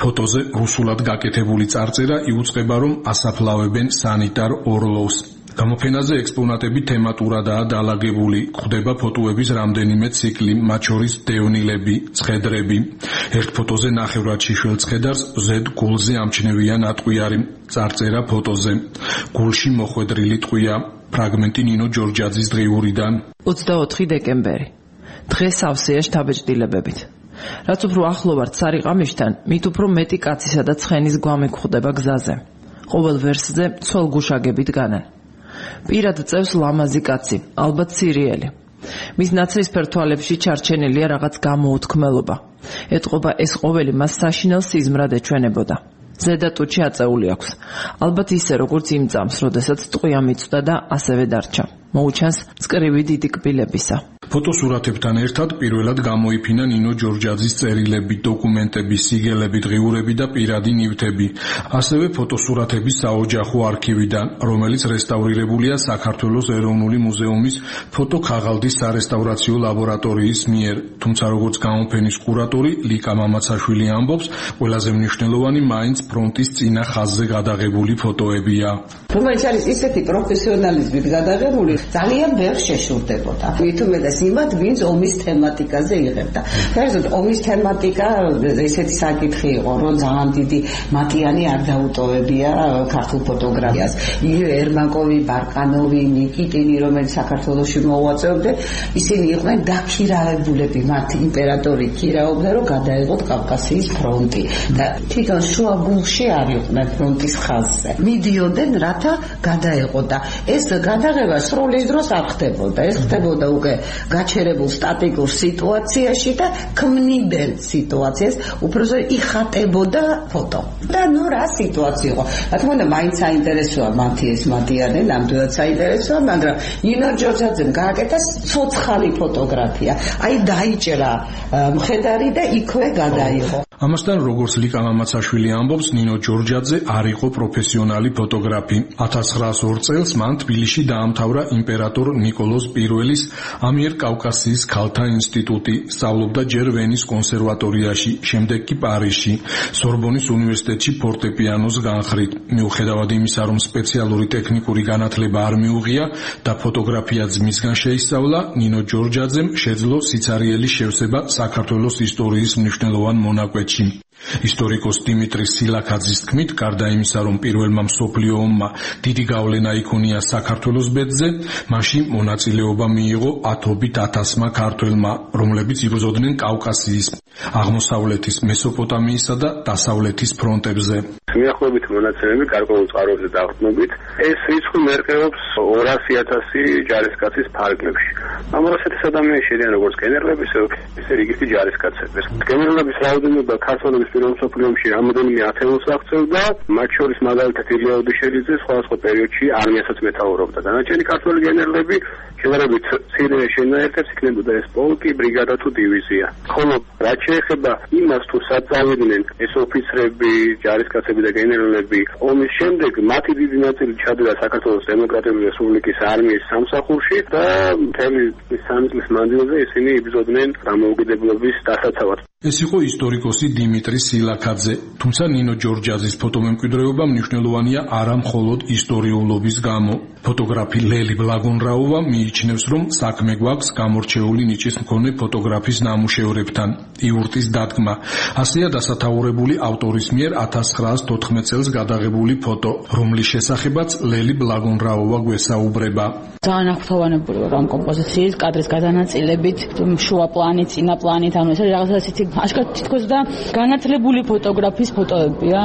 ფოტოზე რუსულად გაკეთებული წარწერა იუწყება, რომ ასაფლავებენ სანიტარ ორლოვს. გამოფენაზე ექსპონატები თემატურადაა დალაგებული. გვხვდება ფოტოების რამდენიმე ციკლი, მათ შორის დევნილები, ცხედრები. ერთ ფოტოზე ნახევრად შიშველ ცხედარს ზედ გულზე ამჩნევია ნატყვიარი. წარწერა ფოტოზე. გულში მოხვედრილი ტყვია. ფრაგმენტი ნინო ჯორჯაძის დღიურიდან. 24 დეკემბერი. დღეს სავსეა შთაბეჭდილებებით. რაც უფრო ახლო ვართ სარიყამიშთან, მით უფრო მეტი კაცისა და ცხენის გვამი გვხვდება გზაზე. ყოველ ვერსზე ცოლგუშაგებით განან. პირად წევს ლამაზი კაცი, ალბათ სირიელი. მის ნაცრისფერ თვალებში ჩარჩენილია რაღაც გამოუთქმელობა. ეტყობა ეს ყოველი მას საშინელ სიზმრად ეჩვენებოდა. ზედა ტუჩი აწეული აქვს. ალბათ ისე როგორც იმ წამს, როდესაც ტყვია მიწვდა და ასევე დარჩა. მოუჩანს წკრივი დიდი კბილებისა. ფოტოსურათებთან ერთად პირველად გამოიფინა ნინო ჯორჯაძის წერილები, დოკუმენტები, სიგელები, დღიურები და პირადი ნივთები. ასევე ფოტოსურათების საოჯახო არქივიდან, რომელიც რესტავრირებულია საქართველოს ეროვნული მუზეუმის ფოტოქაღალდის სარესტავრაციო ლაბორატორიის მიერ. თუმცა როგორც გამოფენის კურატორი ლიკა მამაცაშვილი ამბობს, ყველაზე მნიშვნელოვანი მაინც ფრონტის წინა ხაზზე გადაღებული ფოტოებია. რომელიც არის ისეთი პროფესიონალიზმით გადაღებული, ძალიან ვერ შეშურდებოდა. მithumedas იმათ, ვინც ომის თემატიკაზე იღებდა. ფერზოდ ომის თემატიკა ესეთი საკითხი იყო, რომ ძალიან დიდი მატიანი არ დაუტოვებია ქართულ ფოტოგრაფიას. იგივე ერმაკოვი, ბარკანოვი, ნიკიტინი, რომელიც საქართველოში მოუაწევდნენ, ისინი იყვნენ დაქირავებულები, მათ იმპერატორი ქირავობდა, რომ გადაეღოთ კავკასიის ფრონტი და თვითონ შუა გულში არ იყვნენ ფრონტის ხაზზე. მიდიოდნენ, რათა გადაეღოთ და ეს გადაღება სროლის დროს არ ხდებოდა. ეს ხდებოდა უკვე გაჩერებულ სტატიკურ სიტუაციაში და ქმნიდნენ სიტუაციას, უბრალოდ იხატებოდა ფოტო. და ნუ რა სიტუაცია იყო. რა თქმა უნდა, მაინც საინტერესოა მათი ეს მატიანე, ნამდვილად საინტერესოა, მაგრამ ნინო ჯორჯაძემ გააკეთა ცოცხალი ფოტოგრაფია. აი დაიჭრა მხედარი და იქვე გადაიღო. ამასთან როგორც ლიკა მამაცაშვილი ამბობს, ნინო ჯორჯაძე არ იყო პროფესიონალი ფოტოგრაფი. 1902 წელს მან თბილისში დაამთავრა იმპერატორ ნიკოლოზ I-ის ამიერკავკასიის ქალთა ინსტიტუტი, სწავლობდა ჯერ ვენის კონსერვატორიაში, შემდეგ კი პარიზში, სორბონის უნივერსიტეტში ფორტეპიანოს განხრით. მიუხედავად იმისა, რომ სპეციალური ტექნიკური განათლება არ მიუღია და ფოტოგრაფიაც მისგან შეისწავლა, ნინო ჯორჯაძემ შეძლო სიცარიელი შევსება საქართველოს ისტორიის მნიშვნელოვან მონაკვეთში. ისტორიკოს დიმიტრი სილაქაძის თქმით, გარდა იმისა, რომ პირველმა მსოფლიო ომმა დიდი გავლენა იქონია საქართველოს ბედზე, მაშინ მონაწილეობა მიიღო ათობით ათასმა ქართველმა, რომლებიც იბრძოდნენ კავკასიის, აღმოსავლეთის, მესოპოტამიისა და დასავლეთის ფრონტებზე. მიახლოებით მონაცემები გარკვეულ წყაროებზე დაყრდნობით, ეს რიცხვი მერყეობს 200,000 ჯარისკაცის ფარგლებში. ამ 200,000 ადამიანი შედიან როგორც გენერლები, ისე რიგითი ჯარისკაცები. გენერლების რაოდენობა ქართველების პირველ მსოფლიო ომში რამოდენიმე ათეულს აღწევდა, მათ შორის მაგალითად ილია ოდიშელიძე სხვადასხვა პერიოდში არმიასაც მეთაურობდა. დანარჩენი ქართველი გენერლები შედარებით მცირე შენაერთებს იქნებოდა ეს პოლკი, ბრიგადა თუ დივიზია. ხოლო რაც შეეხება იმას, თუ სად წავიდნენ ეს ოფიცრები, ჯარისკაცები და გენერლები, ომის შემდეგ მათი დიდი ნაწილი ჩადდა საქართველოს დემოკრატიული რესპუბლიკის არმიის სამსახურში და მთელი 3 წლის მანძილზე ისინი იბრძოდნენ დამოუკიდებლობის დასაცავად. ეს იყო ისტორიკოსი დიმიტრი სილაქაძე, თუმცა ნინო ჯორჯაძის ფოტომემკვიდრეობა მნიშვნელოვანია არა მხოლოდ ისტორიულობის გამო. ფოტოგრაფი ლელი ბლაგონრაუვა მიიჩნევს, რომ საქმე გვაქვს გამორჩეული ნიჭის მქონე ფოტოგრაფის ნამუშევრებთან. იურტის დადგმა. ასეა დასათაურებული ავტორის მიერ 1914 წელს გადაღებული ფოტო, რომლის შესახებაც ლელი ბლაგონრაუვა გვესაუბრება. ძალიან აღფრთოვანებული ვარ ამ კომპოზიციის კადრის გადანაწილებით, შუა პლანით, წინა პლანით, ანუ ეს რაღაცა ისეთი აშკარად თითქოს და განათლებული ფოტოგრაფის ფოტოებია.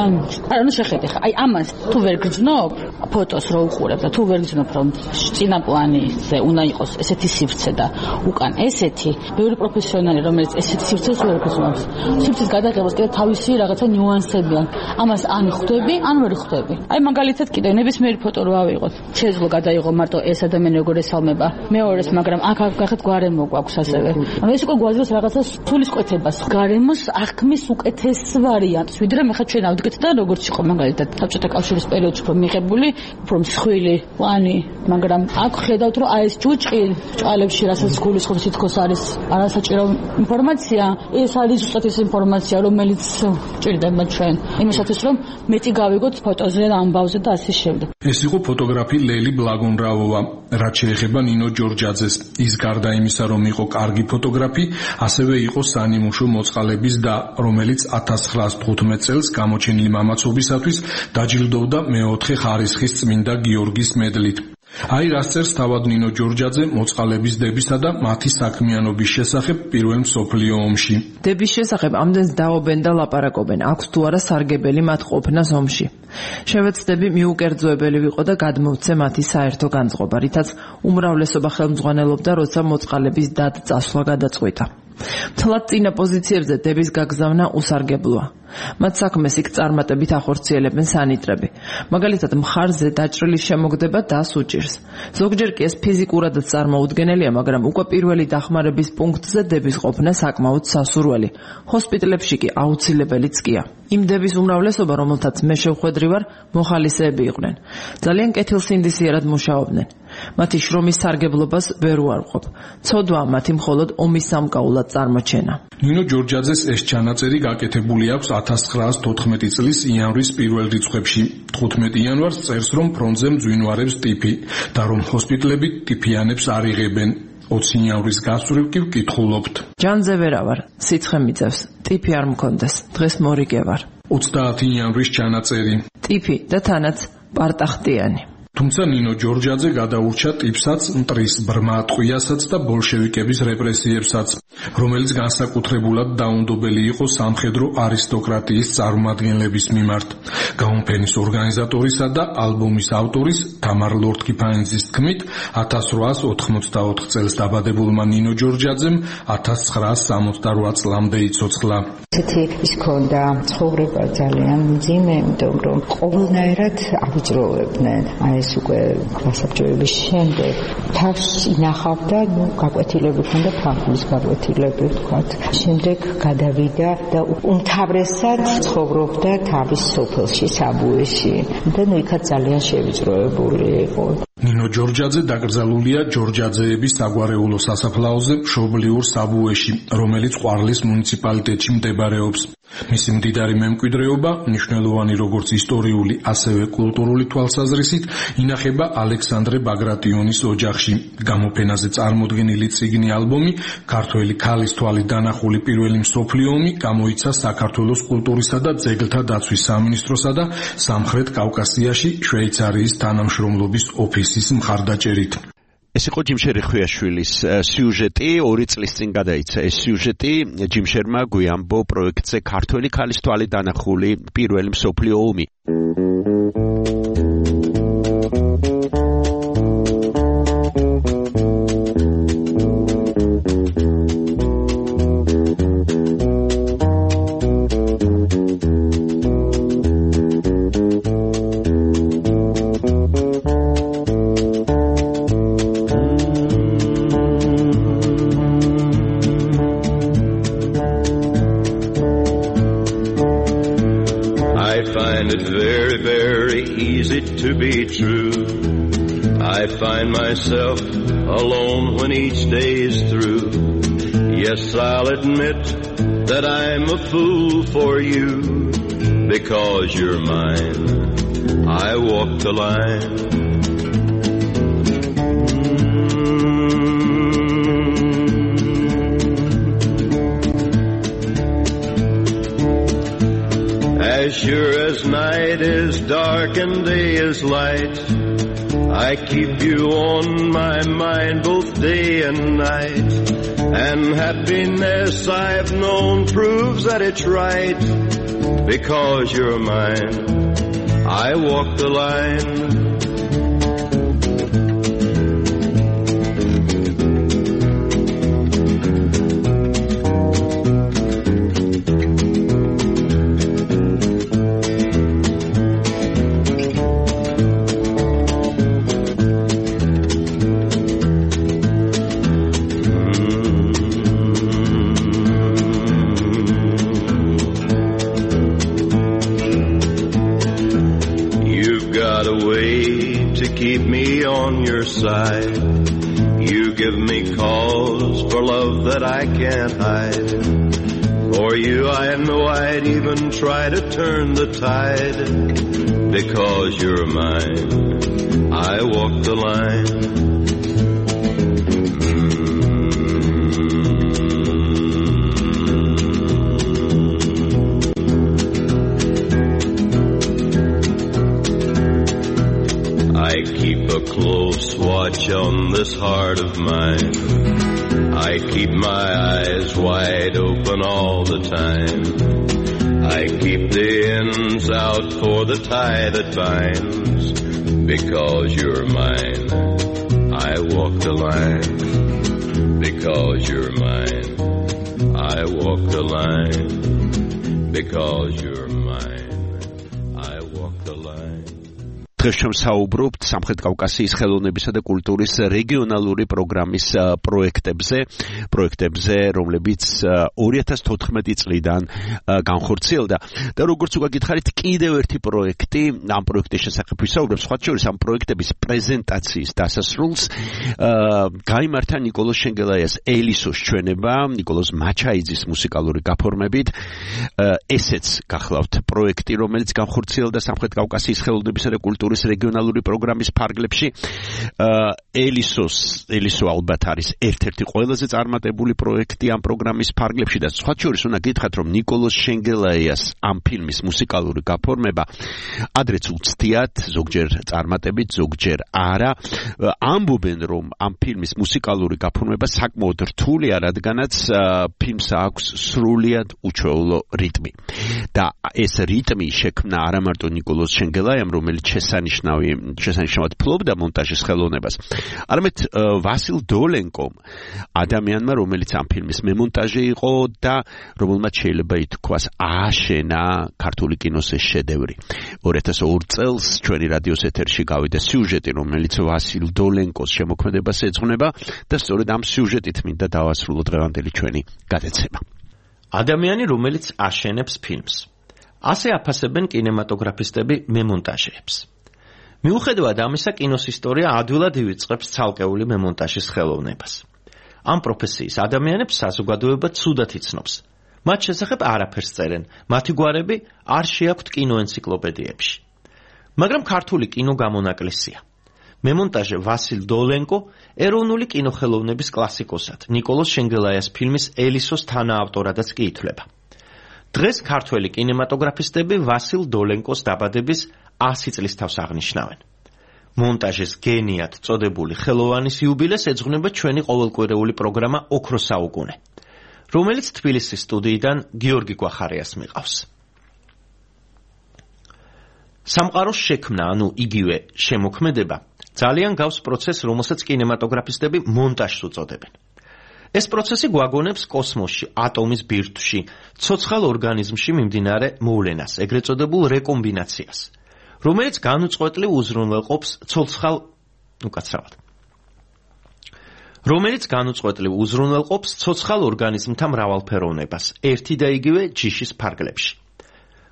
არა, ნუ შეხედე ხა, აი ამას თუ ვერ გრძნობ ფოტოს რო უყურებ და თუ ვერ გრძნობ რომ წინა პლანიზე უნდა იყოს ესეთი სივრცე და უკან ესეთი, ბევრი პროფესიონალი რომელიც ესეთი სივრცეს ვერ გრძნობს. სივრცის გადაღებას კიდე თავისი რაღაცა ნიუანსები აქვს. ამას ან ხვდები, ან ვერ ხვდები. აი მაგალითად კიდე ნებისმიერი ფოტო რო ავიღოთ, შეძლო გადაიღო მარტო ეს ადამიანი როგორ ესალმება. მეორეს, მაგრამ აქ გახეთ გარემო გვაქვს ასევე. ანუ ეს უკვე გვაძლევს რაღაცა სულისკვეთებას. გარემოს აღქმის უკეთეს ვარიანტს, ვიდრე მე ხა ჩვენ ავდგეთ და როგორც იყო მაგალითად საბჭოთა კავშირის პერიოდში უფრო მიღებული, უფრო მსხვილი პლანი, მაგრამ აქ ხედავთ რომ აი ეს ჯუჭყი ჭალებში რასაც გულისხმობს თითქოს არის არასაჭირო ინფორმაცია, ეს არის ზუსტად ეს ინფორმაცია, რომელიც ჭირდება ჩვენ იმისათვის რომ მეტი გავიგოთ ფოტოზე, ამბავზე და ასე შემდეგ. ეს იყო ფოტოგრაფი ლელი ბლაგონრაუვა. რაც შეეხება ნინო ჯორჯაძეს, ის გარდა იმისა, რომ იყო კარგი ფოტოგრაფი, ასევე იყო სანიმუშო მოწყალების და, რომელიც 1915 წელს გამოჩენილი მამაცობისათვის დაჯილდოვდა მეოთხე ხარისხის წმინდა გიორგის მედლით. აი რას წერს თავად ნინო ჯორჯაძე მოწყალების დებისა და მათი საქმიანობის შესახებ პირველ მსოფლიო ომში. დების შესახებ ამდენს დაობენ და ლაპარაკობენ, აქვს თუ არა სარგებელი მათ ყოფნას ომში. შევეცდები მიუკერძოებელი ვიყო და გადმოვცე მათი საერთო განწყობა, რითაც უმრავლესობა ხელმძღვანელობდა, როცა მოწყალების დად-წასვლა გადაწყვიტა. მთლად წინა პოზიციებზე დების გაგზავნა უსარგებლოა. მათ საქმეს იქ წარმატებით ახორციელებენ სანიტრები. მაგალითად, მხარზე დაჭრილის შემოგდება დას უჭირს. ზოგჯერ კი ეს ფიზიკურადაც წარმოუდგენელია, მაგრამ უკვე პირველი დახმარების პუნქტზე დების ყოფნა საკმაოდ სასურველი. ჰოსპიტალებში კი აუცილებელიც კია. იმ დების უმრავლესობა, რომელთაც მე შევხვედრი ვარ, მოხალისეები იყვნენ. ძალიან კეთილსინდისიერად მუშაობდნენ. მათი შრომის სარგებლობას ვერ უარყოფ. ცოდვა მათი მხოლოდ ომის სამკაულად წარმოჩენა. ნინო ჯორჯაძეს ეს ჩანაწერი გაკეთებული აქვს 1914 წლის იანვრის პირველ რიცხვებში. 15 იანვარს წერს, რომ ფრონტზე მძვინვარებს ტიფი და რომ ჰოსპიტალები ტიფიანებს არ იღებენ. 20 იანვრის გასწვრივ კი ვკითხულობთ. ჯანზე ვერა ვარ, სიცხე მიწევს, ტიფი არ მქონდეს, დღეს მორიგე ვარ. 30 იანვრის ჩანაწერი. ტიფი და თანაც პარტახტიანი. თუმცა ნინო ჯორჯაძე გადაურჩა ტიპსაც, მტრის ბრმა ტყვიასაც და ბოლშევიკების რეპრესიებსაც, რომელიც განსაკუთრებულად დაუნდობელი იყო სამხედრო არისტოკრატიის წარმომადგენლების მიმართ. გამოფენის ორგანიზატორისა და ალბომის ავტორის თამარ ლორთქიფანიძის თქმით, 1884 წელს დაბადებულმა ნინო ჯორჯაძემ 1968 წლამდე იცოცხლა. ესეთი ის ქონდა ცხოვრება ძალიან მძიმე, იმიტომ რომ ყოველნაირად ავიჭროვებდნენ. ეს უკვე გასაბჭოების შემდეგ თავს ინახავდა, გაკვეთილები ქონდა, ფანქულის გაკვეთილები ვთქვათ. შემდეგ გადავიდა და უმთავრესად ცხოვრობდა თავის სოფელში, საბუეში და იქაც ძალიან შევიწროებული იყო. ნინო ჯორჯაძე დაკრძალულია ჯორჯაძეების საგვარეულო სასაფლაოზე მშობლიურ საბუეში, რომელიც ყვარლის მუნიციპალიტეტში მდებარეობს. მისი მდიდარი მემკვიდრეობა, მნიშვნელოვანი როგორც ისტორიული, ასევე კულტურული თვალსაზრისით, ინახება ალექსანდრე ბაგრატიონის ოჯახში. გამოფენაზე წარმოდგენილი წიგნი ალბომი „ქართველი ქალის თვალით დანახული პირველი მსოფლიო ომი“ გამოიცა საქართველოს კულტურისა და ძეგლთა დაცვის სამინისტროსა და სამხრეთ კავკასიაში შვეიცარიის თანამშრომლობის ოფისის მხარდაჭერით. ეს იყო ჯიმშერი ხვიაშვილის სიუჟეტი, 2 წლის წინ გადაიცა ეს სიუჟეტი ჯიმშერმა გვიამბო პროექტზე ქართველი ქალის თვალით დანახული პირველი მსოფლიო ომი. To be true, I find myself alone when each day is through. Yes, I'll admit that I'm a fool for you. Because you're mine, I walk the line. As sure as night is dark and day is light, I keep you on my mind both day and night. And happiness I've known proves that it's right. Because you're mine, I walk the line. Side. You give me cause for love that I can't hide. For you I know I'd even try to turn the tide. Because you're mine, I walk the line. Close watch on this heart of mine. I keep my eyes wide open all the time. I keep the ends out for the tie that binds. Because you're mine, I walk the line. Because you're mine, I walk the line. Because you're mine, I walk the line. დღეს შევსაუბრობთ სამხრეთ კავკასიის ხელოვნებისა და კულტურის რეგიონალური პროგრამის პროექტებზე, რომლებიც 2014 წლიდან განხორციელდა. და როგორც უკვე გითხარით, კიდევ ერთი პროექტი, ამ პროექტის შესახებ ვისაუბრებ, სხვა შორის ამ პროექტების პრეზენტაციის დასასრულს გაიმართა ნიკოლოზ შენგელაიას ელისოს ჩვენება, ნიკოლოზ მაჩაიძის მუსიკალური გაფორმებით. ესეც გახლავთ პროექტი, რომელიც განხორციელდა სამხრეთ კავკასიის ხელოვნებისა და კულტურის კულტურის რეგიონალური პროგრამის ფარგლებში. ელისო ალბათ არის ერთ-ერთი ყველაზე წარმატებული პროექტი ამ პროგრამის ფარგლებში და სხვა შორის უნდა გითხრათ, რომ ნიკოლოზ შენგელაიას ამ ფილმის მუსიკალური გაფორმება ადრეც უცდიათ, ზოგჯერ წარმატებით, ზოგჯერ არა. ამბობენ, რომ ამ ფილმის მუსიკალური გაფორმება საკმაოდ რთულია, რადგანაც ფილმს აქვს სრულიად უჩვეულო რიტმი. და ეს რიტმი შექმნა არა მარტო ნიკოლოზ შენგელაიამ, რომელიც შესანიშნავად ფლობდა მონტაჟის ხელოვნებას, არამედ ვასილ დოლენკომ, ადამიანმა, რომელიც ამ ფილმის მემონტაჟე იყო და რომელმაც შეიძლება ითქვას ააშენა ქართული კინოს ეს შედევრი. 2002 წელს ჩვენი რადიოს ეთერში გავიდა სიუჟეტი, რომელიც ვასილ დოლენკოს შემოქმედებას ეძღვნება და სწორედ ამ სიუჟეტით მინდა დავასრულოთ დღევანდელი ჩვენი გადაცემა. ადამიანი, რომელიც აშენებს ფილმს. ასე აფასებენ კინემატოგრაფისტები მემონტაჟეებს. მიუხედავად ამისა, კინოს ისტორია ადვილად ივიწყებს ცალკეული მემონტაჟის ხელოვნებას. ამ პროფესიის ადამიანებს საზოგადოება ცუდად იცნობს. მათ შესახებ არაფერს წერენ, მათი გვარები არ შეაქვთ კინოენციკლოპედიებში. მაგრამ ქართული კინო გამონაკლისია. მემონტაჟე ვასილ დოლენკო ეროვნული კინოხელოვნების კლასიკოსად, ნიკოლოზ შენგელაიას ფილმის ელისოს თანაავტორადაც კი ითვლება. დღეს ქართველი კინემატოგრაფისტები ვასილ დოლენკოს დაბადების 100 წლის თავს აღნიშნავენ. მონტაჟის გენიად წოდებული ხელოვანის იუბილეს ეძღვნება ჩვენი ყოველკვირეული პროგრამა ოქროს საუკუნე, რომელიც თბილისის სტუდიიდან გიორგი გვახარიას მიყავს. სამყაროს შექმნა, ანუ იგივე შემოქმედება, ძალიან გავს პროცესს, რომელსაც კინემატოგრაფისტები მონტაჟს უწოდებენ. ეს პროცესი გვაგონებს კოსმოსში, ატომის ბირთვში, ცოცხალ ორგანიზმში მიმდინარე მოვლენას, ეგრეთ წოდებულ რეკომბინაციას, რომელიც განუწყვეტლივ უზრუნველყოფს ცოცხალ ორგანიზმთა მრავალფეროვნებას, ერთი და იგივე ჯიშის ფარგლებში.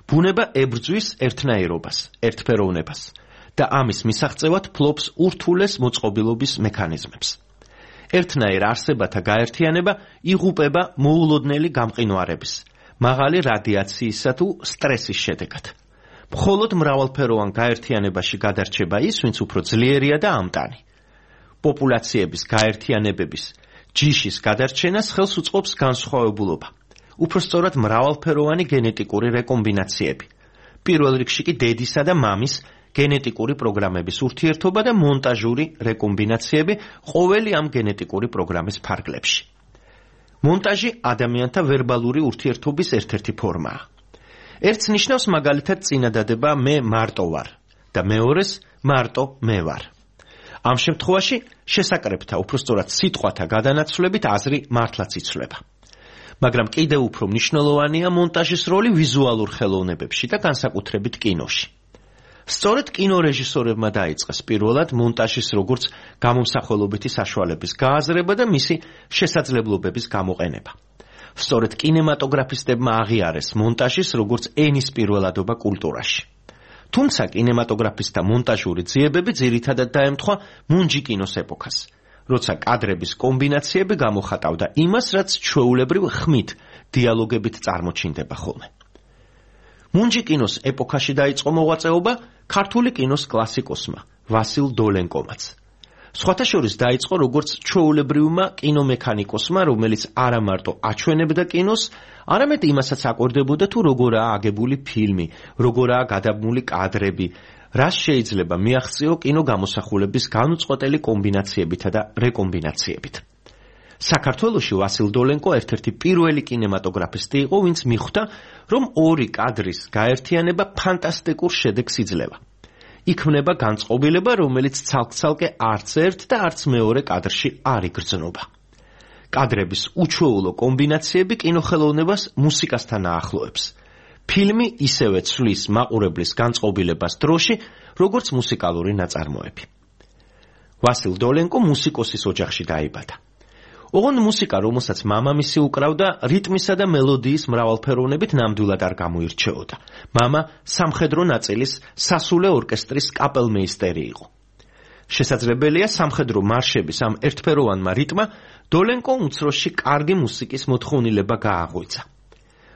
ბუნება ებრძვის ერთნაირობას, ერთფეროვნებას და ამის მისაღწევად ფლობს ურთულეს მოწყობილობის მექანიზმებს. ერთნაირ არსებათა გაერთიანება იღუპება მოულოდნელი გამყინვარების, მაღალი რადიაციისა თუ სტრესის შედეგად. მხოლოდ მრავალფეროვან გაერთიანებაში გადარჩება ის, ვინც უფრო ძლიერია და ამტანი. პოპულაციების გაერთიანებების, ჯიშის გადარჩენას ხელს უწყობს განსხვავებულობა. უფრო სწორად მრავალფეროვანი გენეტიკური რეკომბინაციები. პირველ რიგში კი დედისა და მამის გენეტიკური პროგრამების ურთიერთობა და მონტაჟური რეკომბინაციები ყოველი ამ გენეტიკური პროგრამის ფარგლებში. მონტაჟი ადამიანთა ვერბალური ურთიერთობის ერთ-ერთი ფორმაა. ერთს ნიშნავს მაგალითად წინადადება მე მარტო ვარ და მეორეს მარტო მე ვარ. ამ შემთხვევაში შესაკრებთა, უფრო სწორად სიტყვათა გადანაცვლებით აზრი მართლაც იცვლება. მაგრამ კიდევ უფრო მნიშვნელოვანია მონტაჟის როლი ვიზუალურ ხელოვნებებში და განსაკუთრებით კინოში. სწორედ კინორეჟისორებმა დაიწყეს პირველად მონტაჟის როგორც გამომსახველობითი საშუალების გააზრება და მისი შესაძლებლობების გამოყენება. სწორედ კინემატოგრაფისტებმა აღიარეს მონტაჟის როგორც ენის პირველადობა კულტურაში. თუმცა კინემატოგრაფისტთა მონტაჟური ძიებები ძირითადად დაემთხვა მუნჯი კინოს ეპოქას, როცა კადრების კომბინაციები გამოხატავდა იმას, რაც ჩვეულებრივ ხმით, დიალოგებით წარმოჩინდება ხოლმე. მუნჯი კინოს ეპოქაში დაიწყო მოღვაწეობა ქართული კინოს კლასიკოსმა ვასილ დოლენკომაც. სხვათა შორის დაიწყო როგორც ჩვეულებრივმა კინომექანიკოსმა, რომელიც არა მარტო აჩვენებდა კინოს, არამედ იმასაც აკვირდებოდა თუ როგორაა აგებული ფილმი, როგორაა გადაბმული კადრები, რას შეიძლება მიაღწიო კინო გამოსახულების განუწყვეტელი კომბინაციებითა და რეკომბინაციებით. საქართველოში ვასილ დოლენკო ერთ-ერთი პირველი კინემატოგრაფისტი იყო, ვინც მიხვდა, რომ ორი კადრის გაერთიანება ფანტასტიკურ შედეგს იძლევა. იქმნება განწყობილება, რომელიც ცალკ-ცალკე არც ერთ და არც მეორე კადრში არ იგრძნობა. კადრების უჩვეულო კომბინაციები კინოხელოვნებას მუსიკასთან აახლოებს. ფილმი ისევე ცვლის მაყურებლის განწყობილებას დროში, როგორც მუსიკალური ნაწარმოები. ვასილ დოლენკო მუსიკოსის ოჯახში დაიბადა. ოღონდ მუსიკა, რომელსაც მამამისი უკრავდა, რიტმისა და მელოდიის მრავალფეროვნებით ნამდვილად არ გამოირჩეოდა. მამა სამხედრო ნაწილის სასულე ორკესტრის კაპელმეისტერი იყო. შესაძლებელია სამხედრო მარშების ამ ერთფეროვანმა რიტმა დოლენკომ უმცროსში კარგი მუსიკის მოთხოვნილება გააღვიძა.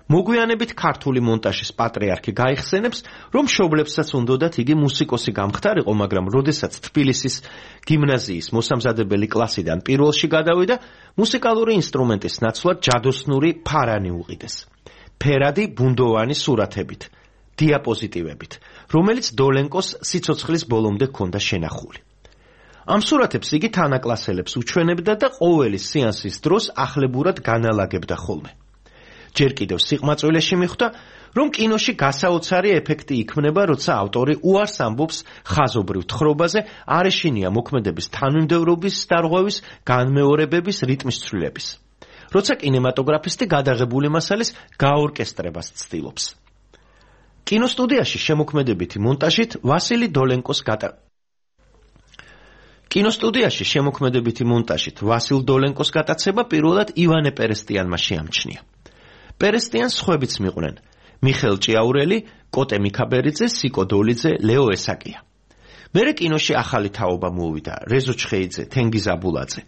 მოგვიანებით ქართული მონტაჟის პატრიარქი გაიხსენებს, რომ მშობლებსაც უნდათ იგი მუსიკოსი გამხდარიყო, მაგრამ როდესაც თბილისის გიმნაზიის მოსამზადებელი კლასიდან პირველში გადავიდა, მუსიკალური ინსტრუმენტის ნაცვლად ჯადოსნური ფარანი უყიდეს. ფერადი ბუნდოვანი სურათებით, დიაპოზიტივებით, რომელიც დოლენკოს სიცოცხლის ბოლომდე ჰქონდა შენახული. ამ სურათებს იგი თანაკლასელებს უჩვენებდა და ყოველი სეანსის დროს ახლებურად განალაგებდა ხოლმე. ჯერ კიდევ სიყმაწვილეში მიხვდა, რომ კინოში გასაოცარი ეფექტი იქმნება, როცა ავტორი უარს ამბობს ხაზობრივ თხრობაზე, არ ეშინია მოქმედების თანმიმდევრობის დარღვევის, განმეორებების, რიტმის ცვლილების. როცა კინემატოგრაფისტი გადაღებული მასალის გაორკესტრებას ცდილობს. კინოსტუდიაში შემოქმედებითი მონტაჟით ვასილი დოლენკოს ვასილ დოლენკოს გატაცება პირველად ივანე პერესტიანმა შეამჩნია. პერესტიანს სხვებიც მიყვნენ: მიხეილ ჭიაურელი, კოტე მიქაბერიძე, სიკო დოლიძე, ლეო ესაკია. მერე კინოში ახალი თაობა მოუვიდა: რეზო ჩხეიძე, თენგიზ აბულაძე.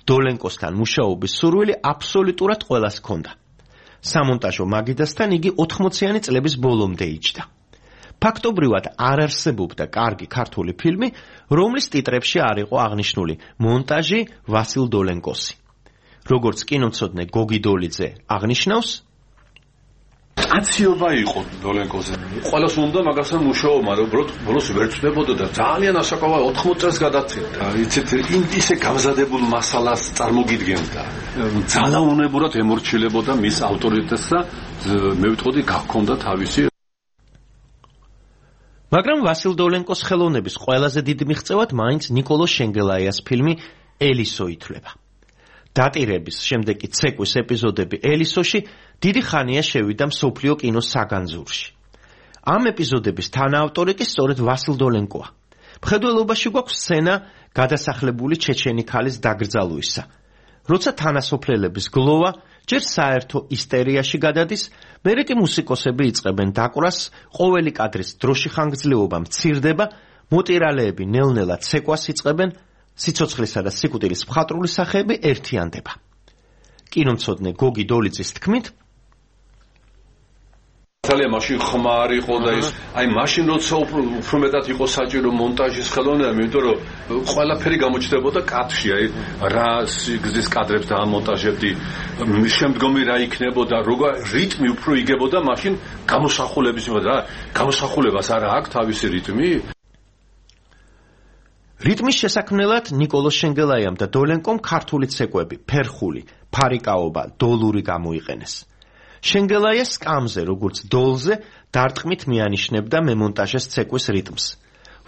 დოლენკოსთან მუშაობის სურვილი აბსოლუტურად ყველას ჰქონდა. სამონტაჟო მაგიდასთან იგი 80-იანი წლების ბოლომდე იჯდა. ფაქტობრივად არ არსებობდა კარგი ქართული ფილმი, რომლის ტიტრებში არ იყო აღნიშნული მონტაჟი ვასილ დოლენკოსი. როგორც კინომცოდნე გოგი დოლიძე აღნიშნავს, აციობა იყო დოლენკოზე. ყველას უნდა მაგასთან მუშაობა, მაგრამ ბოლოს ვერ ჩნდებოდა და ძალიან ასაკავა 80 წელს გადაცემდა. იცით, ისე გამზადებულ მასალას წარმოგიდგენდა. ძალაუნებურად ემორჩილებოდა მის ავტორიტეტს და მე ვიტყოდი გაქონდა თავისი. მაგრამ ვასილ დოლენკოს ხელოვნების ყველაზე დიდ მიღწევად მაინც ნიკოლო შენგელაიას ფილმი ელისო ითვლება. დატირების შემდეგ კი ცეკვის ეპიზოდები ელისოში დიდი ხანია შევიდა მსოფლიო კინოს საგანძურში. ამ ეპიზოდების თანაავტორი კი სწორედ ვასილ დოლენკოა. მხედველობაში გვაქვს სცენა გადასახლებული ჩეჩენი ქალის დაკრძალვისა. როცა თანასოფლელების გლოვა ჯერ საერთო ისტერიაში გადადის, მერე კი მუსიკოსები იწყებენ დაკვრას, ყოველი კადრის დროში ხანგრძლივობა მცირდება, მოტირალეები ნელ-ნელა ცეკვას იწყებენ, სიცოცხლისა და სიკვდილის მხატვრული სახეები ერთიანდება. კინომცოდნე გოგი დოლიძის თქმით, ძალიან მაშინ ხმარ იყო და ის მაშინ როცა უფრო მეტად იყო საჭირო მონტაჟის ხელოვნება, იმიტომ რომ ყველაფერი გამოჩნდებოდა კადრში, რა სიგრძის კადრებს დაამონტაჟებდი, შემდგომი რა იქნებოდა, როგორ რიტმი უფრო იგებოდა, მაშინ გამოსახულების რა, გამოსახულებას არა აქვს თავისი რიტმი. რიტმის შესაქმნელად ნიკოლო შენგელაიამ და დოლენკომ ქართული ცეკვები, ფერხული, ფარიკაობა, დოლური გამოიყენეს. შენგელაია სკამზე, როგორც დოლზე, დარტყმით მიანიშნებდა მემონტაჟეს ცეკვის რიტმს.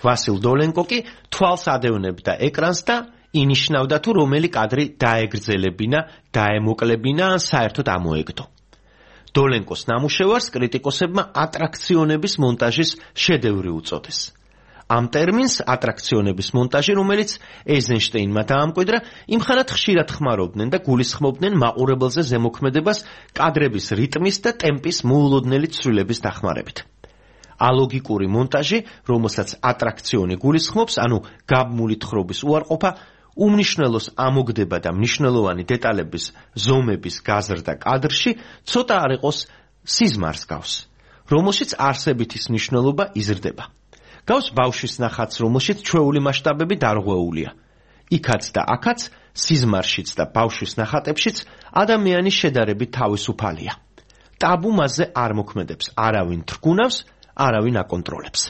ვასილ დოლენკო კი თვალს ადევნებდა ეკრანს და ინიშნავდა თუ რომელი კადრი დაეგრძელებინა, დაემოკლებინა ან საერთოდ ამოეგდო. დოლენკოს ნამუშევარს კრიტიკოსებმა ატრაქციონების მონტაჟის შედევრი უწოდეს. ამ ტერმინს ატრაქციონების მონტაჟი, რომელიც ეიზენშტეინმა დაამკვიდრა, იმხანად ხშირად ხმარობდნენ და გულისხმობდნენ მაყურებელზე ზემოქმედებას კადრების რიტმის და ტემპის მოულოდნელი ცვლილების დახმარებით. ალოგიკური მონტაჟი, რომელსაც ატრაქციონი გულისხმობს, ანუ გაბმული თხრობის უარყოფა, უმნიშვნელოს ამოგდება და მნიშვნელოვანი დეტალების ზომების გაზრდა კადრში ცოტა არ იყოს სიზმარს გავს, რომელშიც არსებითის მნიშვნელობა იზრდება. გავს ბავშვის ნახატს, რომელშიც ჩვეული მასშტაბები დარღვეულია. იქაც და აქაც, სიზმარშიც და ბავშვის ნახატებშიც ადამიანის შედარებით თავისუფალია. ტაბუ მასზე არ მოქმედებს, არავინ თრგუნავს, არავინ აკონტროლებს.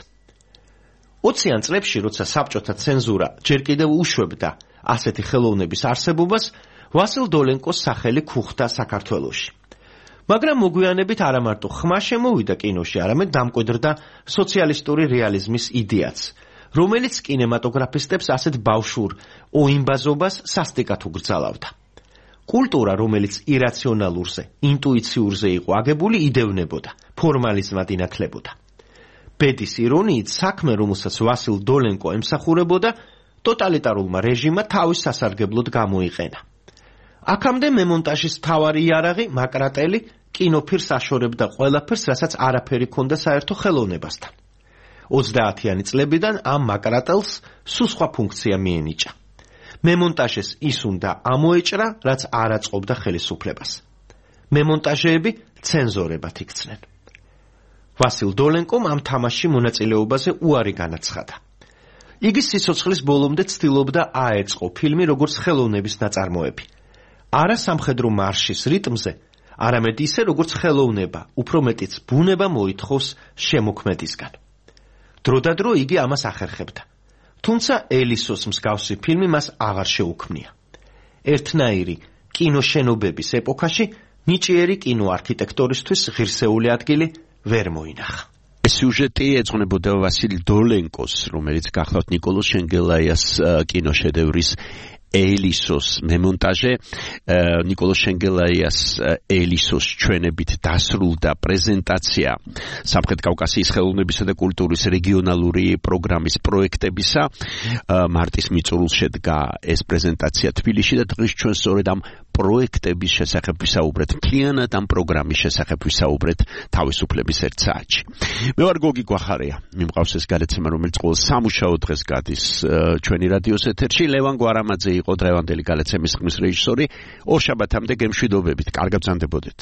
20-იან წლებში, როცა საბჭოთა ცენზურა ჯერ კიდევ უშვებდა ასეთი ხელოვნების არსებობას, ვასილ დოლენკოს სახელი ქუხდა საქართველოში. მაგრამ მოგვიანებით არა მარტო ხმა შემოვიდა კინოში, არამედ დამკვიდრდა სოციალისტური რეალიზმის იდეაც, რომელიც კინემატოგრაფისტებს ასეთ ბავშვურ ოიმბაზობას სასტიკად უგრძალავდა. კულტურა, რომელიც ირაციონალურზე, ინტუიციურზე იყო აგებული, იდევნებოდა, ფორმალიზმად ინათლებოდა. ბედის ირონიით, საქმე, რომელსაც ვასილ დოლენკო ემსახურებოდა, ტოტალიტარულმა რეჟიმმა თავის სასარგებლოდ გამოიყენა. აქამდე მემონტაჟის მთავარი იარაღი, მაკრატელი, კინოფირს აშორებდა ყველაფერს, რასაც არაფერი ჰქონდა საერთო ხელოვნებასთან. 30-იანი წლებიდან ამ მაკრატელს სულ სხვა ფუნქცია მიენიჭა. მემონტაჟეს ის უნდა ამოეჭრა, რაც არ აწყობდა ხელისუფლებას. მემონტაჟეები ცენზორებად იქცნენ. ვასილ დოლენკომ ამ თამაშში მონაწილეობაზე უარი განაცხადა. იგი სიცოცხლის ბოლომდე ცდილობდა აეწყო ფილმი როგორც ხელოვნების ნაწარმოები. არა სამხედრო მარშის რიტმზე, არამედ ისე როგორც ხელოვნება, უფრო მეტიც ბუნება მოითხოვს შემოქმედისგან. დროდადრო იგი ამას ახერხებდა. თუმცა ელისოს მსგავსი ფილმი მას აღარ შეუქმნია. ერთნაირი კინოშენობების ეპოქაში ნიჭიერი კინოარქიტექტორისთვის ღირსეული ადგილი ვერ მოინახა. სიუჟეტი ეძღვნებოდა ვასილ დოლენკოს, რომელიც გახლავთ ნიკოლოზ შენგელაიას კინოშედევრის ელისოს მემონტაჟე. ნიკოლოზ შენგელაიას ელისოს ჩვენებით დასრულდა პრეზენტაცია სამხრეთ კავკასიის ხელოვნებისა და კულტურის რეგიონალური პროგრამის პროექტებისა. მარტის მიწურულს შედგა ეს პრეზენტაცია თბილისში და დღეს ჩვენ სწორედ ამ პროექტების შესახებ ვისაუბრეთ, მთლიანად ამ პროგრამის შესახებ ვისაუბრეთ თავისუფლების ერთ საათში. მე ვარ გოგი გვახარია, მიმყავს ეს გადაცემა, რომელიც ყოველ სამუშაო დღეს გადის ჩვენი რადიოს ეთერში. ლევან გვარამაძე იყო დღევანდელი გადაცემის ხმის რეჟისორი. ორ შაბათამდე გემშვიდობებით, კარგად ბრძანდებოდეთ.